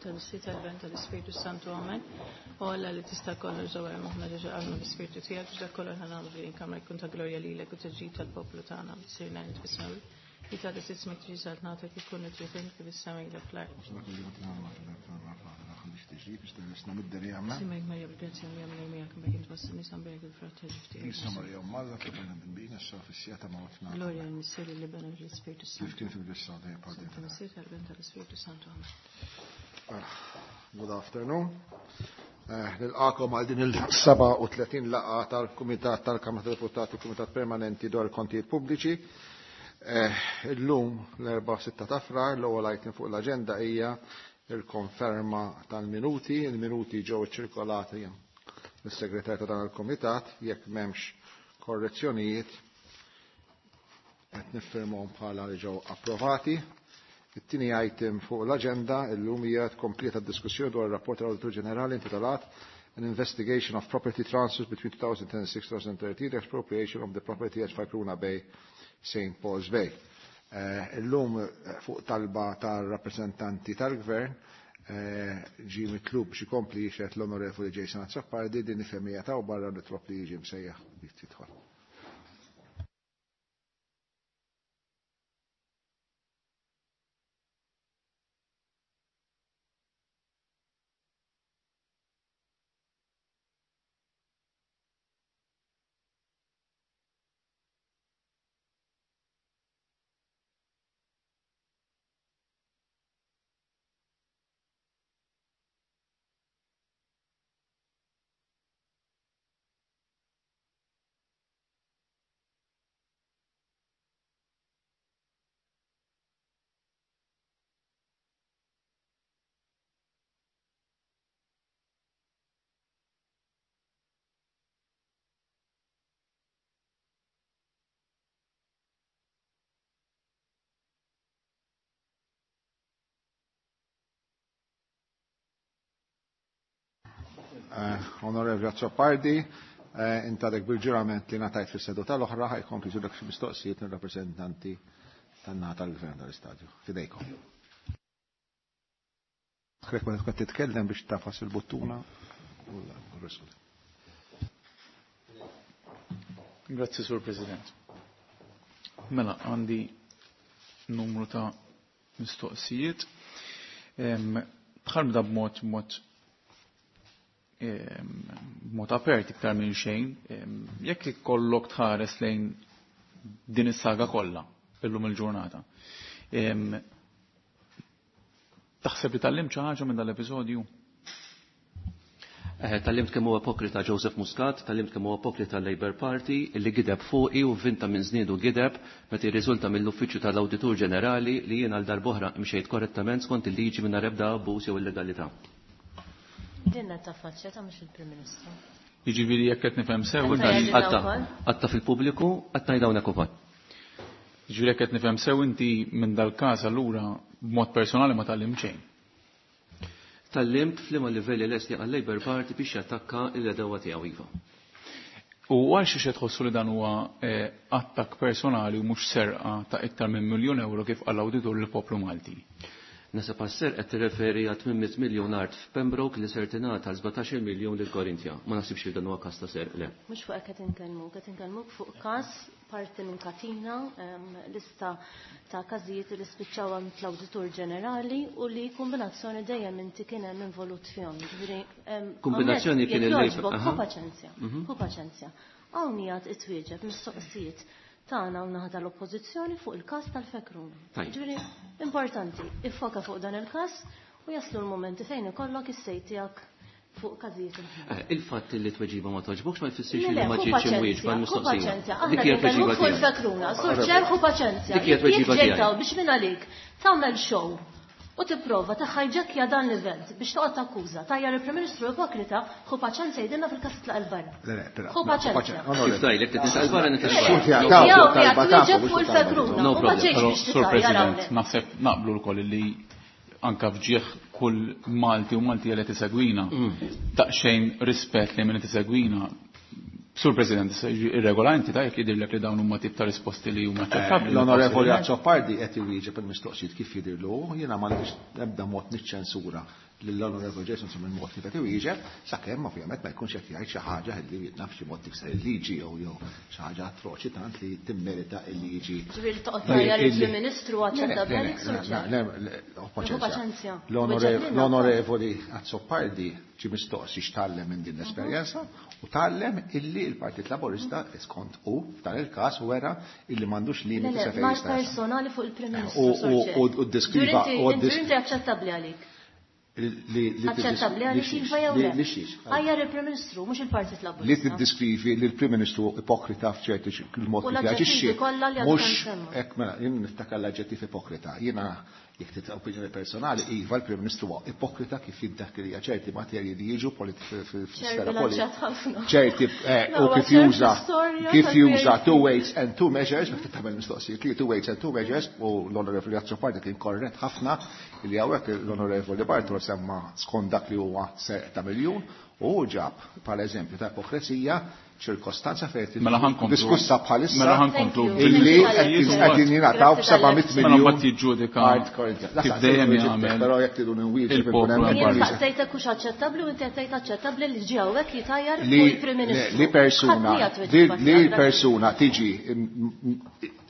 Tal-Missier tal-Ben tal-Ispirtu Santu Amen. O Alla li tista' kollox żewwel moħħna ġeġa qalbna bl-Ispirtu tiegħek biex dak kollu aħna nagħmlu f'din il-kamra jkun ta' glorja lilek u ta' ġid tal-poplu tagħna. Missierna li fis-smewwiet, li tagħti ismek tiġi saltnatek ikun trid int kif is-sema jgħid fl-art. Simek Marja bil-grazzja mija minn miegħek mbagħad int fost in-nisa mbierek il-frott ta' ġuf tiegħek. Isa Marja Malla kif bina sa fis-sija ta' mawtna. Glorja l-Missier l-Iben u l-Ispirtu Kif Santu. kien fil-bissa dejjem bħal dejjem. Tal-Missier tal-Ben tal-Ispirtu Santu. Amen. Good afternoon. Nilqakom għal din il-37 laqgħa tal-Kumitat tal-Kamra tad-Deputati Kumitat Permanenti dwar il-Kontijiet Pubbliċi. Illum l-4 ta' Frar l-ewwel item fuq l-aġenda hija il-konferma tal-minuti. Il-minuti ġew iċċirkolati mis-segretar ta' dan il-Kumitat jekk m'hemmx korrezzjonijiet qed niffirmhom bħala li ġew approvati. It-tieni item fuq l-aġenda illum hija tkompleta d-diskussjoni dwar ir-rapport tal-Awditur Ġenerali intitolat An Investigation of Property Transfers between 2006-2013, the Expropriation of the Property at Farkruna Bay, St. Paul's Bay. Illum fuq talba tar-rappreżentanti tal-Gvern ġie mitlub biex ikompli jixhed l-Onorevoli Jason Azzopardi din ifemija ta' barra nitlob li jiġi msejjaħ biex tidħol. Onorevoli Azzopardi, intadek bil-ġurament li ngħatajt fis-seduta l-oħra ħajkompli ġurek xi mistoqsijiet mir-rappreżentanti tan-naħa tal-Gvern tal-Istadju. Fidejkom. Krek ma tkun titkellem biex tafas il-buttuna u l-risol. Grazzi, Sur President. Mela, għandi numru ta' mistoqsijiet. Bħal bda b'mod mod mod apert iktar minn xejn, jekk ikollok tħares lejn din is-saga kollha illum il-ġurnata. Taħseb li tgħallimt xi ħaġa minn dal-episodju? Tgħallimt kemm huwa ipokrita Joseph Muscat, tgħallimt kemm huwa ipokrita l-Labour Party, li gideb fuqi u vinta minn żniedu gideb meta jirriżulta mill-Uffiċċju tal-Awditur Ġenerali li jien għal darb'oħra mxejt korrettament skont il-liġi mingħajr ebda abbuż jew illegalità. Dinna ta' faċċja ta' mhux il-Prim Ministru. Jiġifieri jekk qed nifhem sew Għatta inti jgħidilna wkoll? Għatta fil-pubbliku, għatta ngħid hawnhekk ukoll. Jiġifieri jekk qed nifhem sew inti minn dal-każ allura b'mod personali ma tgħallimt xejn. Tgħallimt f'liema livelli lest li għal-Labour Party biex jattakka l-edewa tiegħu iva. U għal xi xed tħossu li dan huwa attakk personali u mhux serqa ta' iktar minn 1,000,000 euro kif qal l-awditur lill-poplu Malti? Nasab għas-serq qed tirreferi għal 800 miljun art f'Pembroke li ser tingħata għal 17 miljun lil Korintja. Ma naħsibx li dan huwa każ ta' serq, le. Mhux fuq hekk qed inkellmuk, qed inkellmuk fuq każ parti minn katina, lista ta' każijiet li spiċċaw għand l-Awditur Ġenerali u li kombinazzjoni dejjem inti kien hemm involut fihom. Ġifieri, Kombinazzjoni hawnhekk kien jekk il-lejb, jogħġbok, aha. ħu paċenzja, ħu paċenzja. Hawn qiegħed itwieġeb mistoqsijiet tagħna u naħa tal-Oppożizzjoni fuq il-każ tal-Fekruna. Tajjeb. Ġifieri, importanti, iffoka fuq dan il-każ u jaslu l-momenti fejn ikollok is-sejt tiegħek fuq każijiet oħra. Il-fatt li tweġiba ma toġbokx ma jfissirx Le, li le, ma ħu ġietx paċenzja, imwieġba ħu l-mistoqsija. paċenzja. Dik Aħna hija nitkellmu tweġiba fuq tiegħi. il-Fekruna, Sur Ċer, ħu paċenzja. Dik hija tweġiba Jekk tiegħi. ġejtaw biex minn għalik tagħmel show u tipprova taħħajġekja dan l-event biex toqgħod takkuża tajjar il-Prim Ministru ipokrita, ħu paċenzja jgħidilna fil-każ titlaq il-barra. Le, le, però, Ħu no, paċenzja. paċenzja. Onorevoli. Kif tajlek li titlaq il-barra nitlaq Le, il-barra. Xut jgħid, jew taw, jgħid talba wieġeb tafu, fuq biex il-Fekruna, No u ma problem. ġejx Però, biex Sur titajjar President, hawnhekk. naħseb naqblu lkoll li anka fġieħ kull Malti u Malti li tisegwina, daqsxejn rispett li min tisegwina. Sur President, irregola inti ta' jekk jidhirlek li dawn huma tip ta' risposti li huma aċċettabbli. L-Onorevoli Azzopardi qed iwieġeb il-mistoqsijiet kif jidhirlu, jiena ma nix ebda mod niċċensura lill-Onorevoli Jason minn mod kif qed iwieġeb, sakemm ovvjament ma jkunx qed jgħid xi ħaġa li naf xi mod tikser il-liġi jew xi ħaġa atroċi tant li timmerita il-liġi. Ġifieri toqgħod tgħajjar il-Prim Ministru aċċettabbli għalik Sur L-Onorevoli Azzopardi ġie mistoqsi x'tgħallem minn din l-esperjenza u tgħallem illi l-Partit Laburista skont hu f'dan il-każ wera illi m'għandux limiti sa fejn jista' personali fuq il-Prim Ministru. U ddiskriva u Inti aċċettabbli għalik. Aċċettabbli għalik iva jew le? Għajjar il-Prim Ministru, mhux il-Partit Laburista. Li tiddiskrivi li l-Prim Ministru ipokrita f'ċerti il-mod kif jaġixxi. Mhux hekk mela jien niftakar l-aġġettiv ipokrita. Jiena jekk trid opinjoni personali, iva l-Prim Ministru huwa ipokrita kif jiddekrija ċerti materji li jiġu fis-sfera politika. Ċerti u kif juża kif juża two weights and two measures, meta tagħmel mistoqsijiet li two weights and two measures u l-Onorevoli Azzopardi kien korrett ħafna li hawnhekk l-Onorevoli Bartolo semma skont dak li huwa serq ta' miljun u ġab bħala eżempju ta' ipokresija ċirkostanza fejn Mela ħa nkomplu. diskussa bħalissa Mela ħa nkomplu. illi qegħdin jingħataw b'700 Mela miljun. mbagħad jiġġudika kif dejjem jagħmel Però jekk tridu nwieġeb il-poplu ikun hemm hemm Jien barra. saqsejtek hux aċċettabbli u inti qed tgħid aċċettabbli li ġie hawnhekk jitajjar li fuq il-Prim Ministru. li persuna Ħadd miegħek tweġiba li tiegħek. persuna tiġi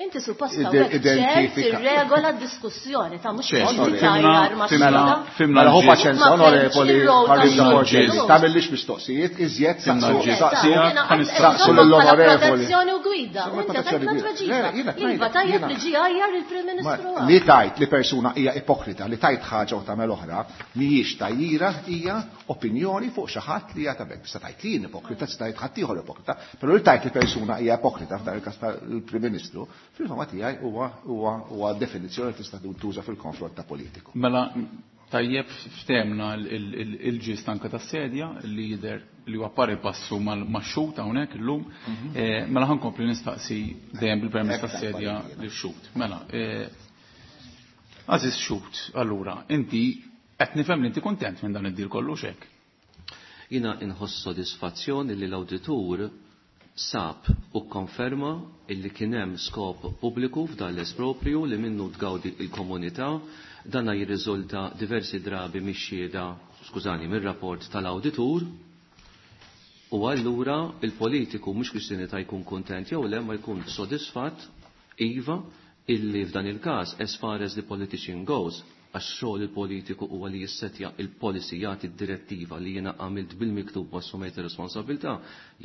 Inti suppost hawnhekk ċert identifika. tirregola d-diskussjoni ta' mhux Ċert, inti fimna- tajjar ma' fimna- xhieda. fimna Mela hu l-ġis. paċenza Ma onorevoli fhimtx ir-rol Marisa ta' Porcelli, xhieda. tagħmillix mistoqsijiet, iżjed Fimna saqsu l-ġis. saqsu Jiena saqsu lill-onorevoli. Protezzjoni u gwida. U Insomma, inti protezzjoni tajtna gwida. tweġiba. Le, jiena Iva tgħidlek, tajjeb jiena. li ġie għajjar il-Prim Ministru. Ma- Li tajt li persuna hija ipokrita, li tajt ħaġa u tagħmel oħra, mhijiex tajjira hija opinjoni fuq xi ħadd li hija tabek. Tista' tgħid li jien ipokrita, tista' tgħid ħadd ieħor ipokrita, però li tajt li persuna hija ipokrita f'dan il-każ tal-Prim Ministru, fil-fama tiegħi huwa huwa huwa definizzjoni li tista' tuża fil-konfront ta' politiku. Mela tajjeb ftemna il-ġist anka tas-sedja li jidher li huwa pari passu mal-xut hawnhekk illum. Mela ħa nkompli nistaqsi dejjem bil-permess tas-sedja lix-xut. Mela, għażiż xut, allura, inti qed nifhem li inti kuntent minn dan id-deal kollu xek. Jiena inħoss sodisfazzjon li l-awditur sab u konferma illi kien hemm skop pubbliku f'dan l-esproprju li minnu tgawdi il-komunità. Dana jirriżulta diversi drabi mix-xhieda, skużani, mir-rapport tal-awditur. U allura il-politiku mhux kwistjoni ta' jkun kuntent jew le ma jkun sodisfatt iva illi f'dan il-każ as far as the politician goes, għax xogħol il-politiku huwa li jissetja il-policy, jagħti d-direttiva li jiena għamilt bil-miktub u assumejt ir-responsabilità,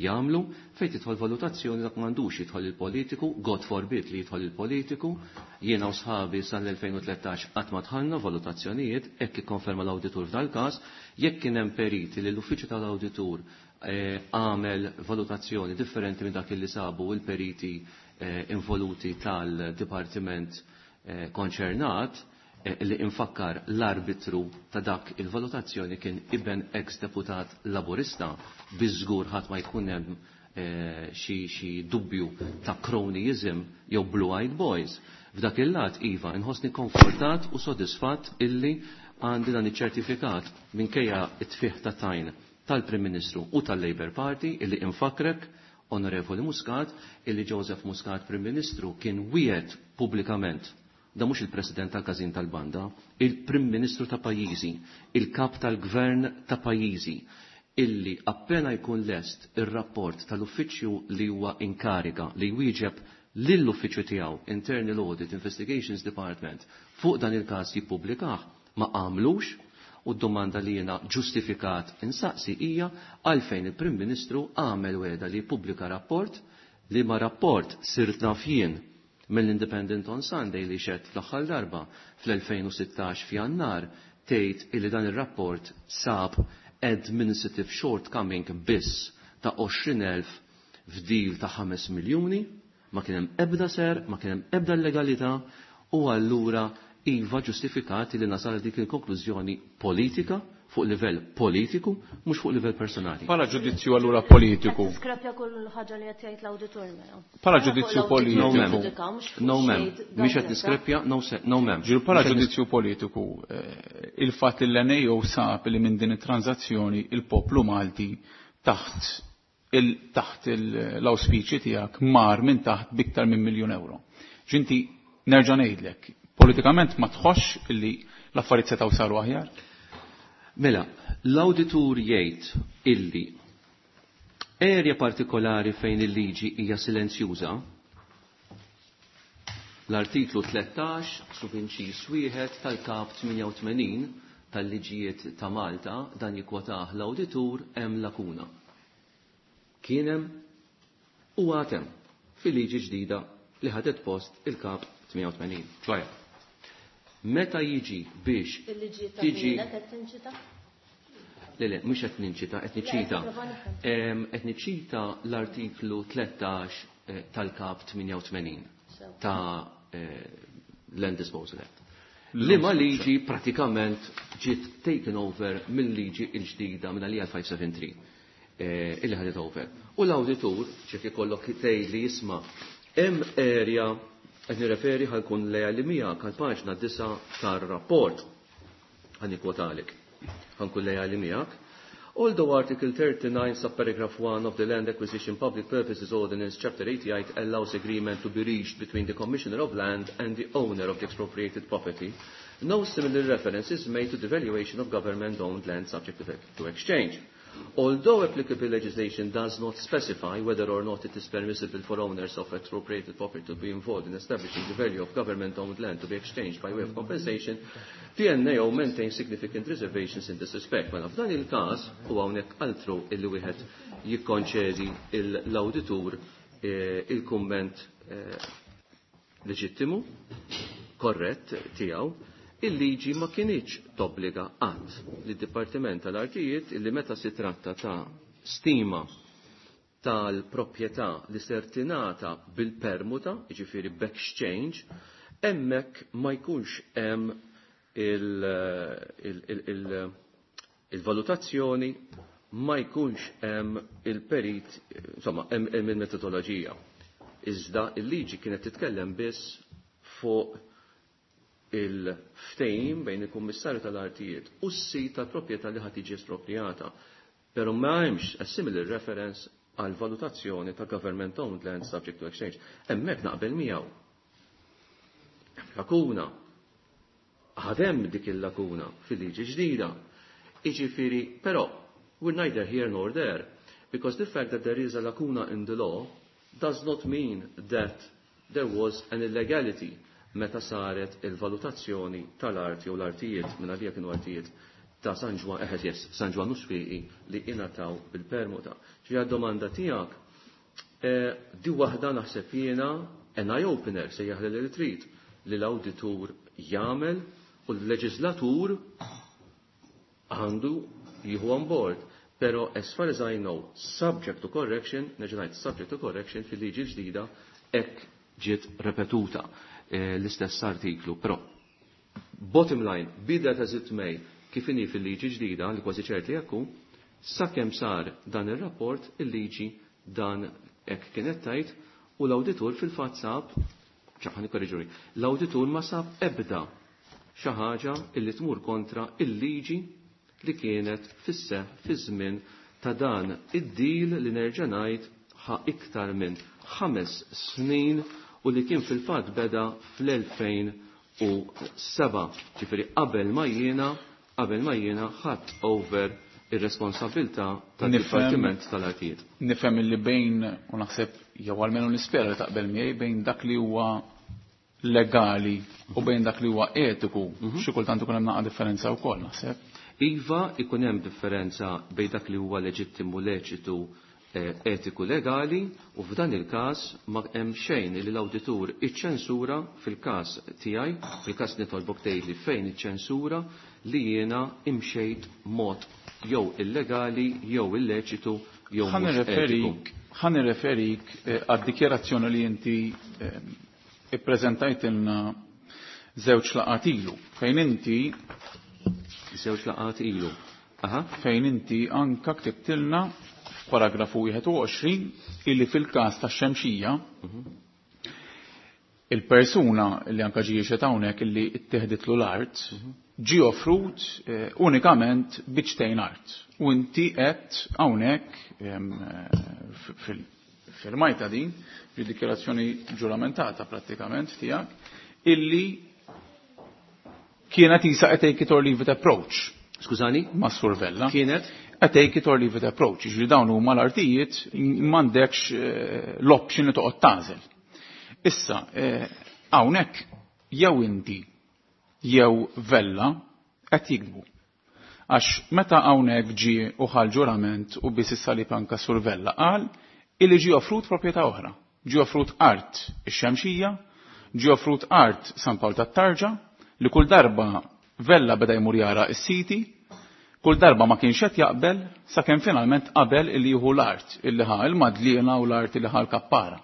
jagħmlu fejn tidħol valutazzjoni dak m'għandux jidħol il-politiku, God forbid li jidħol il-politiku. Jiena u sħabi sal-2013 qatt ma dħalna valutazzjonijiet, hekk ikkonferma l-awditur f'dal-każ. Jekk kien hemm periti li l-uffiċċju tal-awditur għamel valutazzjoni differenti minn dak li sabu il-periti involuti tal-dipartiment konċernat, li infakkar l-arbitru ta' dak il-valutazzjoni kien iben ex-deputat laburista, biżgur ħadd ma jkun hemm xi dubju ta' cronyism jew blue-eyed boys. F'dak il-lat, iva, inħossni konfortat u sodisfatt illi għandi dan iċ-ċertifikat minkejja it-tfih ta' tajn tal-Prim Ministru u tal-Labour Party illi infakrek, Onorevoli Muscat, illi Joseph Muscat Prim Ministru kien wiegħed pubblikament, da mhux il-President tal-Każin tal-Banda, il-Prim Ministru ta' pajjiżi, il-Kap tal-Gvern ta' pajjiżi, illi appena jkun lest ir-rapport tal-uffiċċju li huwa inkariga li jwieġeb lill-uffiċċju tiegħu Internal Audit Investigations Department fuq dan il-każ jippubblikah, ma għamlux. U d-domanda li jiena ġustifikat insaqsi hija għalfejn il-Prim Ministru għamel weda li jippubblika rapport li ma rapport sirt naf jien mill-Independent on Sunday li xed fl-aħħar darba fl-2016 f'Jannar tgħid illi dan ir-rapport sab administrative shortcoming biss ta' 20,000 f'deal ta' 5 miljuni, ma kien hemm ebda ser, ma kien hemm ebda illegalità, u allura iva ġustifikati li nasal dik il-konklużjoni politika fuq livell politiku, mhux fuq livell personali. Bħala ġudizzju allura politiku. Qed tiskrapja kull ħaġa li qed jgħid l-awditur mela. Bħala ġudizzju politiku. No, ma'am. No, ma'am. Mhix qed niskrepja, no, no, ma'am. Ġiru bħala Mhux qed ġudizzju politiku, il-fatt li l-NAO sab li minn din it-tranzazzjoni il-poplu Malti taħt l-auspiċi tiegħek mar minn taħt biktar minn miljun euro. Ġinti nerġa' ngħidlek, politikament ma tħossx li l-affarijiet setgħu saru aħjar? Mela, l-awditur jgħid illi area partikolari fejn il-liġi hija silenzjuża, l-artiklu 13 subinċis wieħed tal-kap 88 tal-liġijiet ta' Malta dan jikkwotah l-awditur hemm lakuna. Kien hemm u għad hemm fil-liġi ġdida li ħadet post il-kap 88. ċoħe, meta jiġi biex Il-liġi ta' tiġi qed tinċita? Le, le, mhux qed ninċita, qed niċċita. Le, qed nipprova nifhem. Qed niċċita l-artiklu 13 tal-kap 88 Sew. ta' Land Disposal Act. Liema liġi pratikament ġiet taken over mill-liġi il-ġdida minn għalija 573 illi ħadet over. U l-awditur, ċef ikollok tgħid li jisma' hemm area qed nirreferi ħa nkun lejali miegħek għal paġna 9 tar-rapport. Ħa nikkwotalek. Ħa nkun lejali miegħek. Although Article 39, subparagraph 1 of the Land Acquisition Public Purposes Ordinance, Chapter 88, allows agreement to be reached between the Commissioner of Land and the owner of the expropriated property, no similar reference is made to the valuation of government-owned land subject to exchange. Although applicable legislation does not specify whether or not it is permissible for owners of expropriated property to be involved in establishing the value of government-owned land to be exchanged by way of compensation, the NAO maintains significant reservations in this respect. Mela f'dan il-każ, u hawnhekk altru illi wieħed jikkonċedi l-awditur il-kumment leġittimu, korrett tiegħu, il-liġi ma kinitx tobbliga qatt lid-Dipartiment tal-Artijiet illi meta si tratta ta' stima tal-proprjetà li ser tingħata bil-permuta, jiġifieri b'exchange, hemmhekk ma jkunx hemm il-valutazzjoni, ma jkunx hemm il-perit, insomma, hemm il-metodoloġija. Iżda il-liġi kienet titkellem biss fuq il-ftehim bejn il-Kummissarju tal-Artijiet u s-sit tal-proprjetà li ħad tiġi espropriata. Però ma hemmx a similar reference għal valutazzjoni ta' government owned land subject to exchange. Hemmhekk naqbel miegħu. Lakuna. Għadem dik il-lakuna fil-liġi ġdida. Iġifieri, però, we're neither here nor there, because the fact that there is a lacuna in the law does not mean that there was an illegality meta saret il-valutazzjoni tal-arti u l-artijiet, minn għalija kienu artijiet ta' San Ġwann, eħed yes, San Ġwann u Swieqi li ingħataw bil-permuta. Ġi għad-domanda tiegħek, di waħda naħseb jiena an eye-opener se jaħli li trid li l-awditur jagħmel u l-leġislatur għandu jieħu on board. Pero as far as I know, subject to correction, nerġa' ngħid subject to correction fil-liġi ġdida hekk ġiet repetuta l-istess artiklu. Però bottom line, bida ta' it may, kif inhi fil-liġi ġdida li kważi ċert li jekku, sakemm sar dan ir-rapport il-liġi dan hekk kienet tajt u l-awditur fil-fatt sab, ċaħan ikkorriġuri, l-awditur ma sab ebda xi ħaġa illi tmur kontra il-liġi li kienet fis-seħħ fi żmien ta' dan id-deal li nerġa' ngħid ħa iktar minn 5 snin u li kien fil-fatt beda fl-2007, ġifieri qabel ma jiena ħadd over ir-responsabilità tad-Dipartiment tal-Artijiet. Nifhem li bejn, u naħseb jew almenu nispera li taqbel miegħi, bejn dak li huwa legali u bejn dak li huwa etiku, xi kultant ikun hemm naqa' differenza wkoll naħseb. Iva, ikun hemm differenza bejn dak li huwa leġittimu leċitu etiku legali u f'dan il-każ ma hemm xejn li l-awditur iċċensura fil-każ tiegħi, fil-każ nitolbok tgħidli fejn iċċensura li jiena imxejt mod jew illegali jew illeċitu jew mhux etiku. Ħa nirreferik għad-dikjerazzjoni li inti ippreżentajtilna żewġ laqgħat ilu, fejn inti żewġ laqgħat ilu. Aha. Fejn inti anka ktibtilna f'paragrafu 21 illi fil-każ tax-Xemxija il-persuna li anka ġie xed hawnhekk illi ttieħditlu l-art ġie offrut unikament biċtejn art. U inti qed hawnhekk fil-firmajta din, fi dikjarazzjoni ġuramentata prattikament tiegħek, illi kienet isa qed take it or leave it approach. Skużani? Ma' Sur Vella. Kienet? A take it or leave it approach. Ġifieri dawn huma l-artijiet m'għandekx l-option li toqgħod tagħżel. Issa, hawnhekk jew inti jew Vella qed jikdbu. Għax meta hawnhekk ġie u ħal ġurament u biss is-salib anka Sur Vella qal illi ġie offrut proprjetà oħra. Ġie offrut art ix-Xemxija, ġie offrut art San Pawl tat-Tarġa, li kull darba Vella beda jmur jara s-siti, kull darba ma kienx qed jaqbel sakemm finalment qabel illi jieħu l-art illi ħa il-Madliena u l-art illi ħa l-Kappara.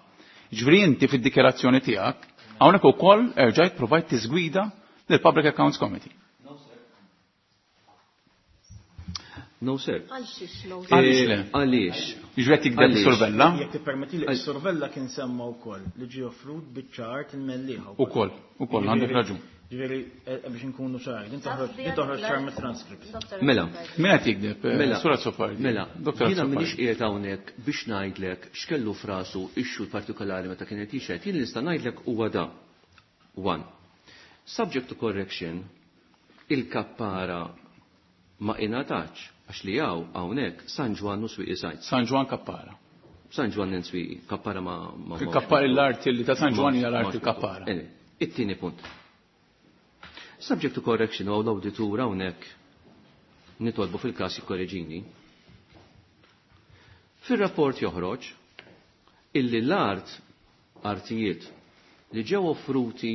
Ġifieri inti fid-dikjarazzjoni tiegħek hawnhekk ukoll erġajt provajt tiżgwida lill-Public Accounts Committee. No, sir. Għal xiex no, sir? Għaliex le? Għaliex? Jiġifieri qed jikdeb Għaliex? Sur Vella? Jekk tippermetti li Sur Vella kien semma wkoll li ġie offrut biċċa art il-Mellieħa wkoll. Ukoll, ukoll, għandek raġun. Ġifieri, biex inkunu ċari, din toħroġ din toħroġ ċar mit-transcript. Mela. Min qed jikdeb, Mela. Sur Azzopardi? Mela. Dottor Jiena Azzopardi. m'iniex qiegħed hawnhekk biex ngħidlek x'kellu f'rasu ix-xhud partikolari meta kien qed jixhed. Jien nista' ngħidlek huwa da. One. Subject to correction, il-Kappara ma ingħatax għax li hawn hawnhekk San Ġwann u Swieqi Sajt. San Ġwann Kappara. San Ġwann and Swieqi, Kappara ma Il-Kappara l-art li ta' San Ġwann hija l-art ma- il-Kappara. It-tieni punt. Subject to correction u l-awditur hawnhekk nitolbu fil-każ jikkoreġini. Fir-rapport joħroġ illi l-art artijiet li ġew offruti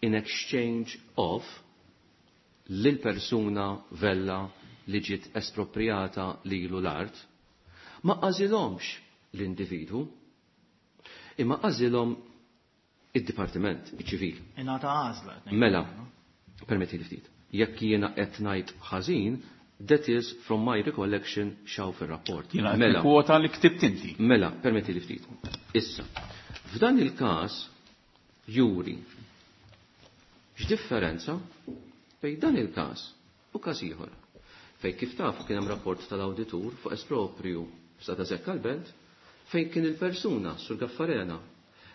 in exchange of lil persuna Vella li ġiet espropriata lilu l-art, ma għażilhomx l-individwu, imma għażilhom id-dipartiment iċ-ċivil. Ingħata għażla, qed ngħid. Mela, permetti li ftit. Jekk jiena qed ngħid ħażin, that is from my recollection xaw fir-rapport. Jiena qed Mela. nikkwota li ktibt inti. Mela, permetti li ftit. Issa, f'dan il-każ juri x'differenza bejn dan il-każ u każ ieħor. Fejn kif tafu kien hemm rapport tal-awditur fuq esproprju f'Sata Zekka l-Belt fejn kien il-persuna Sur Gaffarena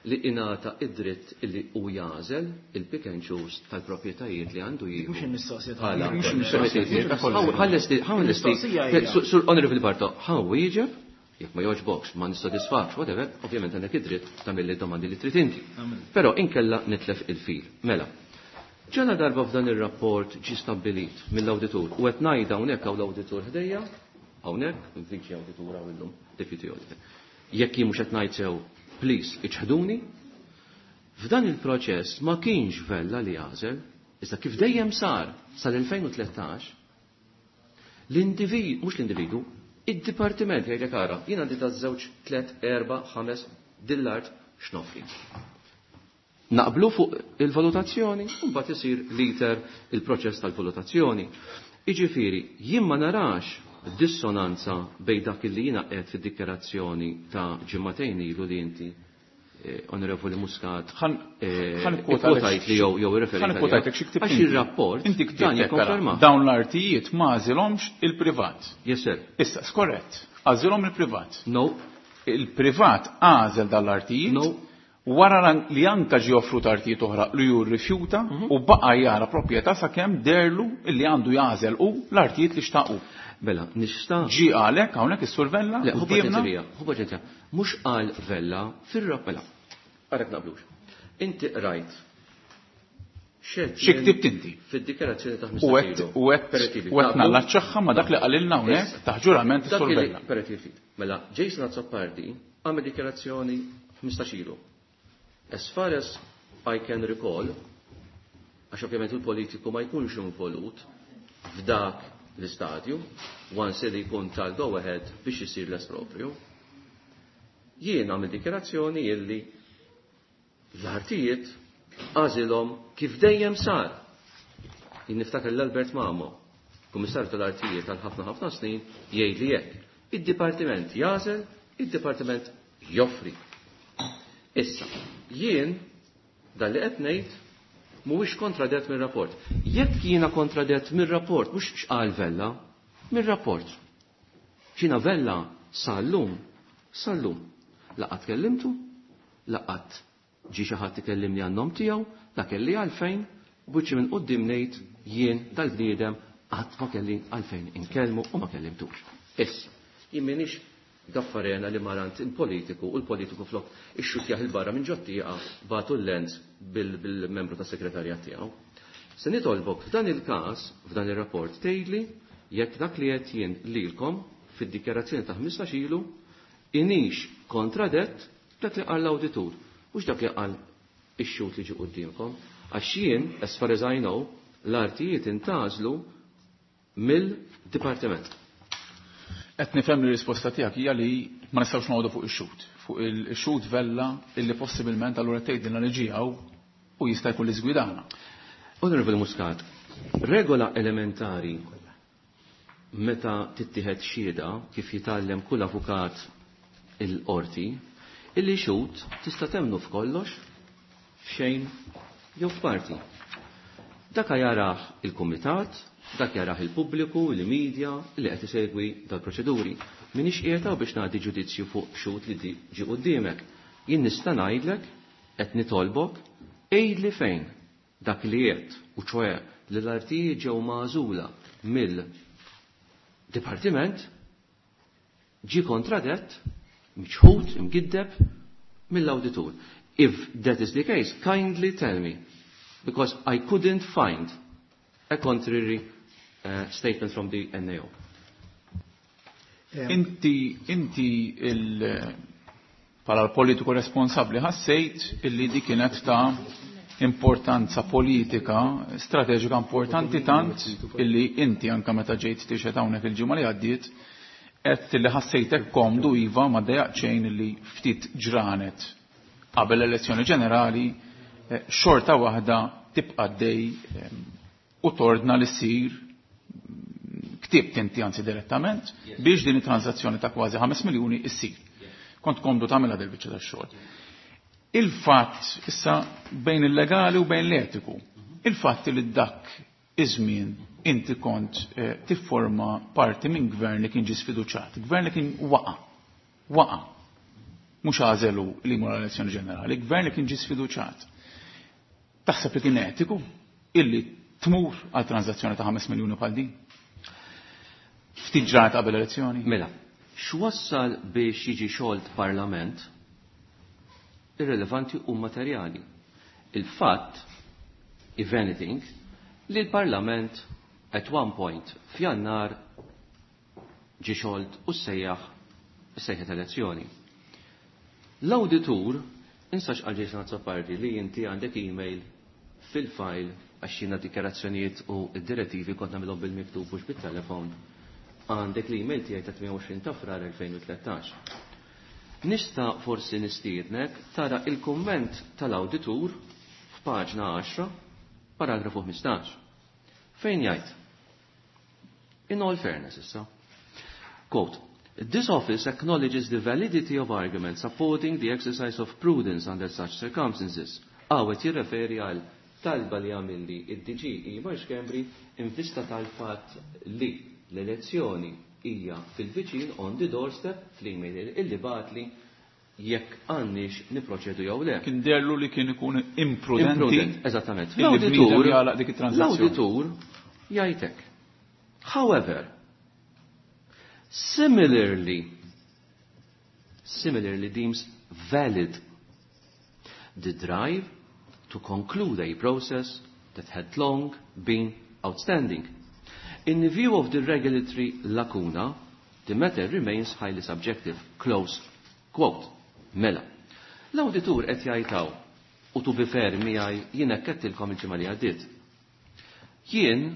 li ingħata id-dritt illi hu jagħżel il-pick and choose tal-proprjetajiet li għandu jieħu. Mhux il-mistoqsija Għala. tagħna. Mhux il-mistoqsija tagħna. Ħallesti, ħallesti. Il-mistoqsija hija. Sur Honorable Barto, ħa wieġeb, jekk ma jogħġbokx, ma nissodisfax, whatever, ovvjament għandek id-dritt tagħmel id-domandi li trid inti. Però inkella nitlef il-fil. Mela, ġala darba f'dan ir-rapport ġi stabbilit mill-awditur u qed ngħid hawnhekk hawn l-awditur ħdejja, hawnhekk, il-viċi awditur hawn illum, deputy auditor. Jekk jien mhux qed ngħid sew, please, iċħduni. F'dan il-proċess ma kienx Vella li għażel, iżda kif dejjem sar sal-2013, l-individu, mhux l-individu, id-dipartiment jgħidlek ara, jien għandi ta' żewġ, tliet, erba', ħames, dil-art x'nofri. Naqblu fuq il-valutazzjoni, u mbagħad isir liter il-proċess tal-valutazzjoni. Jiġifieri, jien ma narax dissonanza bejn dak li jiena qed fid-dikjarazzjoni ta' ġimagħtejn ilu li inti Onorevoli Muscat, Ħan kwota ikkwotajt li jew irreferejt ħan għaliha. kwotajtek xi ktibt Għax inti. ir-rapport Inti ktibt dan hekk, ara, jikkonferma. Dawn l-artijiet ma għażilhomx il-privat. Yes, sir. Issa, skorrett, għażilhom il-privat. No. Il-privat għażel dan l-artijiet. No. Wara li anka ġie offrut artijiet oħra li ju rrifjuta u baqa' jara proprjetà sakemm derlu illi għandu jagħżel u l-artijiet li xtaqu. Mela, nista' Ġie għalhekk hawnhekk is-Sur Vella Le, hu quddiemna. paċenzja, hu paċenzja. Mhux qal Vella fir-rap, mela. Għarek naqblux. Inti qrajt. Xed Xi ktibt inti? Fid-dikjarazzjoni ta' U ħmistax ilu. qed u qed nallaċċaħħa ma' dak li qalilna hawnhekk Issa. ta' ġurament Dak is-Sur li Vella. Permetti ftit. Mela, Jason Azzopardi għamel dikjarazzjoni 15 ilu. As far as I can recall, għax ovvjament il-politiku ma jkunx involut f'dak l-istadju, once li jkun tal-go ahead biex isir l-espropju, jien għamil dikjarazzjoni illi l-artijiet għażilhom kif dejjem sar. Jien niftakar l-Albert Mamo, kummissarju tal-artijiet għal ħafna ħafna snin, jgħid li hekk. Id-dipartiment jagħżel, id-dipartiment joffri. Issa, jien dan li qed ngħid mhuwiex kontradett mir-rapport. Jekk jiena kontradett mir-rapport, mhux x'qal Vella, mir-rapport. X'jiena Vella sal-lum, sal-lum. Laqgħat kellimtu, laqgħat ġie xi ħadd ikellimni għan-nom tiegħu, la kelli għalfejn, buċċi minn quddiem ngħid jien dal-bniedem Qatt ma kelli għalfejn inkellmu u ma kellimtux. Issa, jien m'iniex gaffarena li marant il-politiku u l-politiku flok ixxutjah 'il barra minn ġot-tieqa bagħtu l-lens bil-membru tas-segretarjat tiegħu. Se nitolbok f'dan il-każ, f'dan ir-rapport tgħidli jekk dak li għedt jien lilkom fid-dikjarazzjoni ta' 15 ilu inix kontradett dak li qal l-awditur, mhux dak li qal ix-xhud li ġie quddiemkom. Għax jien, as far as I know, l-artijiet intgħażlu mill-dipartiment. Qed nifhem li r-risposta tiegħek hija li ma nistgħux noqogħdu fuq ix-xhud. Fuq il-xhud Vella illi possibilment allura tgħidilna li ġie hawn u jista' jkun li żgwidana. Honorable Muscat, regola elementari meta tittieħed xhieda kif jitgħallem kull avukat il-qorti, illi xhud tista' temmnu f'kollox, f'xejn jew f'parti. Dak jarah il-kumitat, dak jarah il-pubbliku, il-media li qed isegwi dal-proċeduri. M'iniex qiegħed hawn biex nagħti ġudizzju fuq xhud li ġie quddiemek. Jien nista' ngħidlek, qed nitolbok, għidli fejn dak li għedt, u ċoe li l-artijiet ġew magħżula mill-dipartiment, ġie kontradett, miċħud, imgiddeb mill-awditur. If that is the case, kindly tell me, because I couldn't find a contrary statement from the NAO. Inti, inti il, bħala l-politiku responsabli ħassejt illi di kienet ta' importanza politika, strateġika importanti tant illi inti anka meta ġejt tixhed hawnhekk il-ġimgħa li għaddiet għedt illi ħassejtek komdu iva ma ddejjaq xejn illi ftit ġranet qabel l-elezzjoni ġenerali xorta waħda tibqa' dej u tordna li ssir ktibt inti anzi direttament biex din it-transazzjoni ta' kważi 5 miljuni issir. Kont komdu tagħmilha del biċċa tax-xogħol. Il-fatt issa bejn il-legali u bejn l-etiku, il-fatt li dak iż-żmien inti kont tifforma parti minn gvern li kien ġie sfiduċat, gvern li kien waqa', waqa', mhux għażelu li jmur għall-elezzjoni ġenerali, gvern li kien ġie sfiduċat. Taħseb li kien etiku illi tmur għal transazzjoni ta' 5 miljuni bħal din? Ftit ġranet qabel elezzjoni? Mela, x'wassal biex jiġi xolt parlament irrelevanti u materjali. Il-fatt, if anything, li l-parlament at one point f'Jannar ġie xolt u sejjaħ sejħet elezzjoni. L-awditur, insax għal Jason Azzopardi li inti għandek email fil-file għax jiena dikjarazzjonijiet u d-direttivi kont nagħmilhom bil-miktub mhux bit-telefon. Għandek l-email tiegħi ta' 28 ta' Frar 2013. Nista' forsi nistiednek tara il-kumment tal-awditur f'paġna 10, paragrafu 15. Fejn jgħid? In all fairness issa. Quote, This office acknowledges the validity of arguments supporting the exercise of prudence under such circumstances. Għawet jirreferi għal talba li għamilli id-DG Ivan Schembri in vista tal-fatt li l-elezzjoni hija fil-viċin on the doorstep fl-email illi bagħatli jekk għandniex niproċedu jew le. Kien derlu li kien ikun imprudenti. Imprudent, eżattament. Illi bniedem jagħlaq dik it-transazzjoni. L-awditur jgħidlek. However, similarly deems valid the drive to conclude a process that had long been outstanding. In view of the regulatory lacuna, the matter remains highly subjective. Close quote. Mela. L-awditur qed jgħidhaw, u to be fair miegħi jien hekk għedtilkom il-ġimgħa li għaddiet. Jien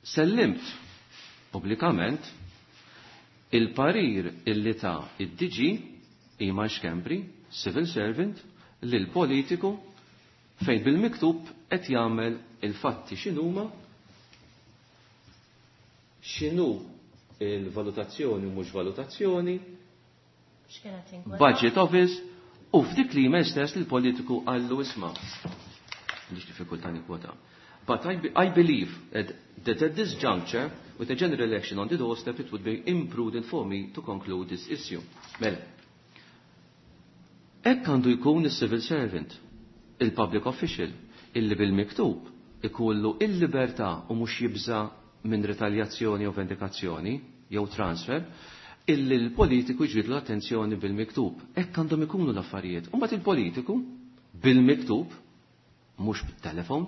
sellimt pubblikament il-parir illi ta' id-DG Iman Schembri, civil servant, lil politiku fejn bil-miktub qed jagħmel il-fatti x'inhuma, x'inhu il-valutazzjoni u mhux valutazzjoni, X'kienet inkweta? budget office, u f'dik li email stess li l-politiku qallu isma'. M'għandix diffikultà nikkwota. But I believe that at this juncture, with a general election on the doorstep, it would be imprudent for me to conclude this issue. Mela, hekk għandu jkun il-civil servant, il-public official, illi bil-miktub ikollu il-libertà u mhux jibża minn retaljazzjoni u vendikazzjoni jew transfer, illi l-politiku jġbidlu l-attenzjoni bil-miktub. Hekk għandhom ikunu l-affarijiet. U mbagħad il-politiku bil-miktub, mhux bit-telefon,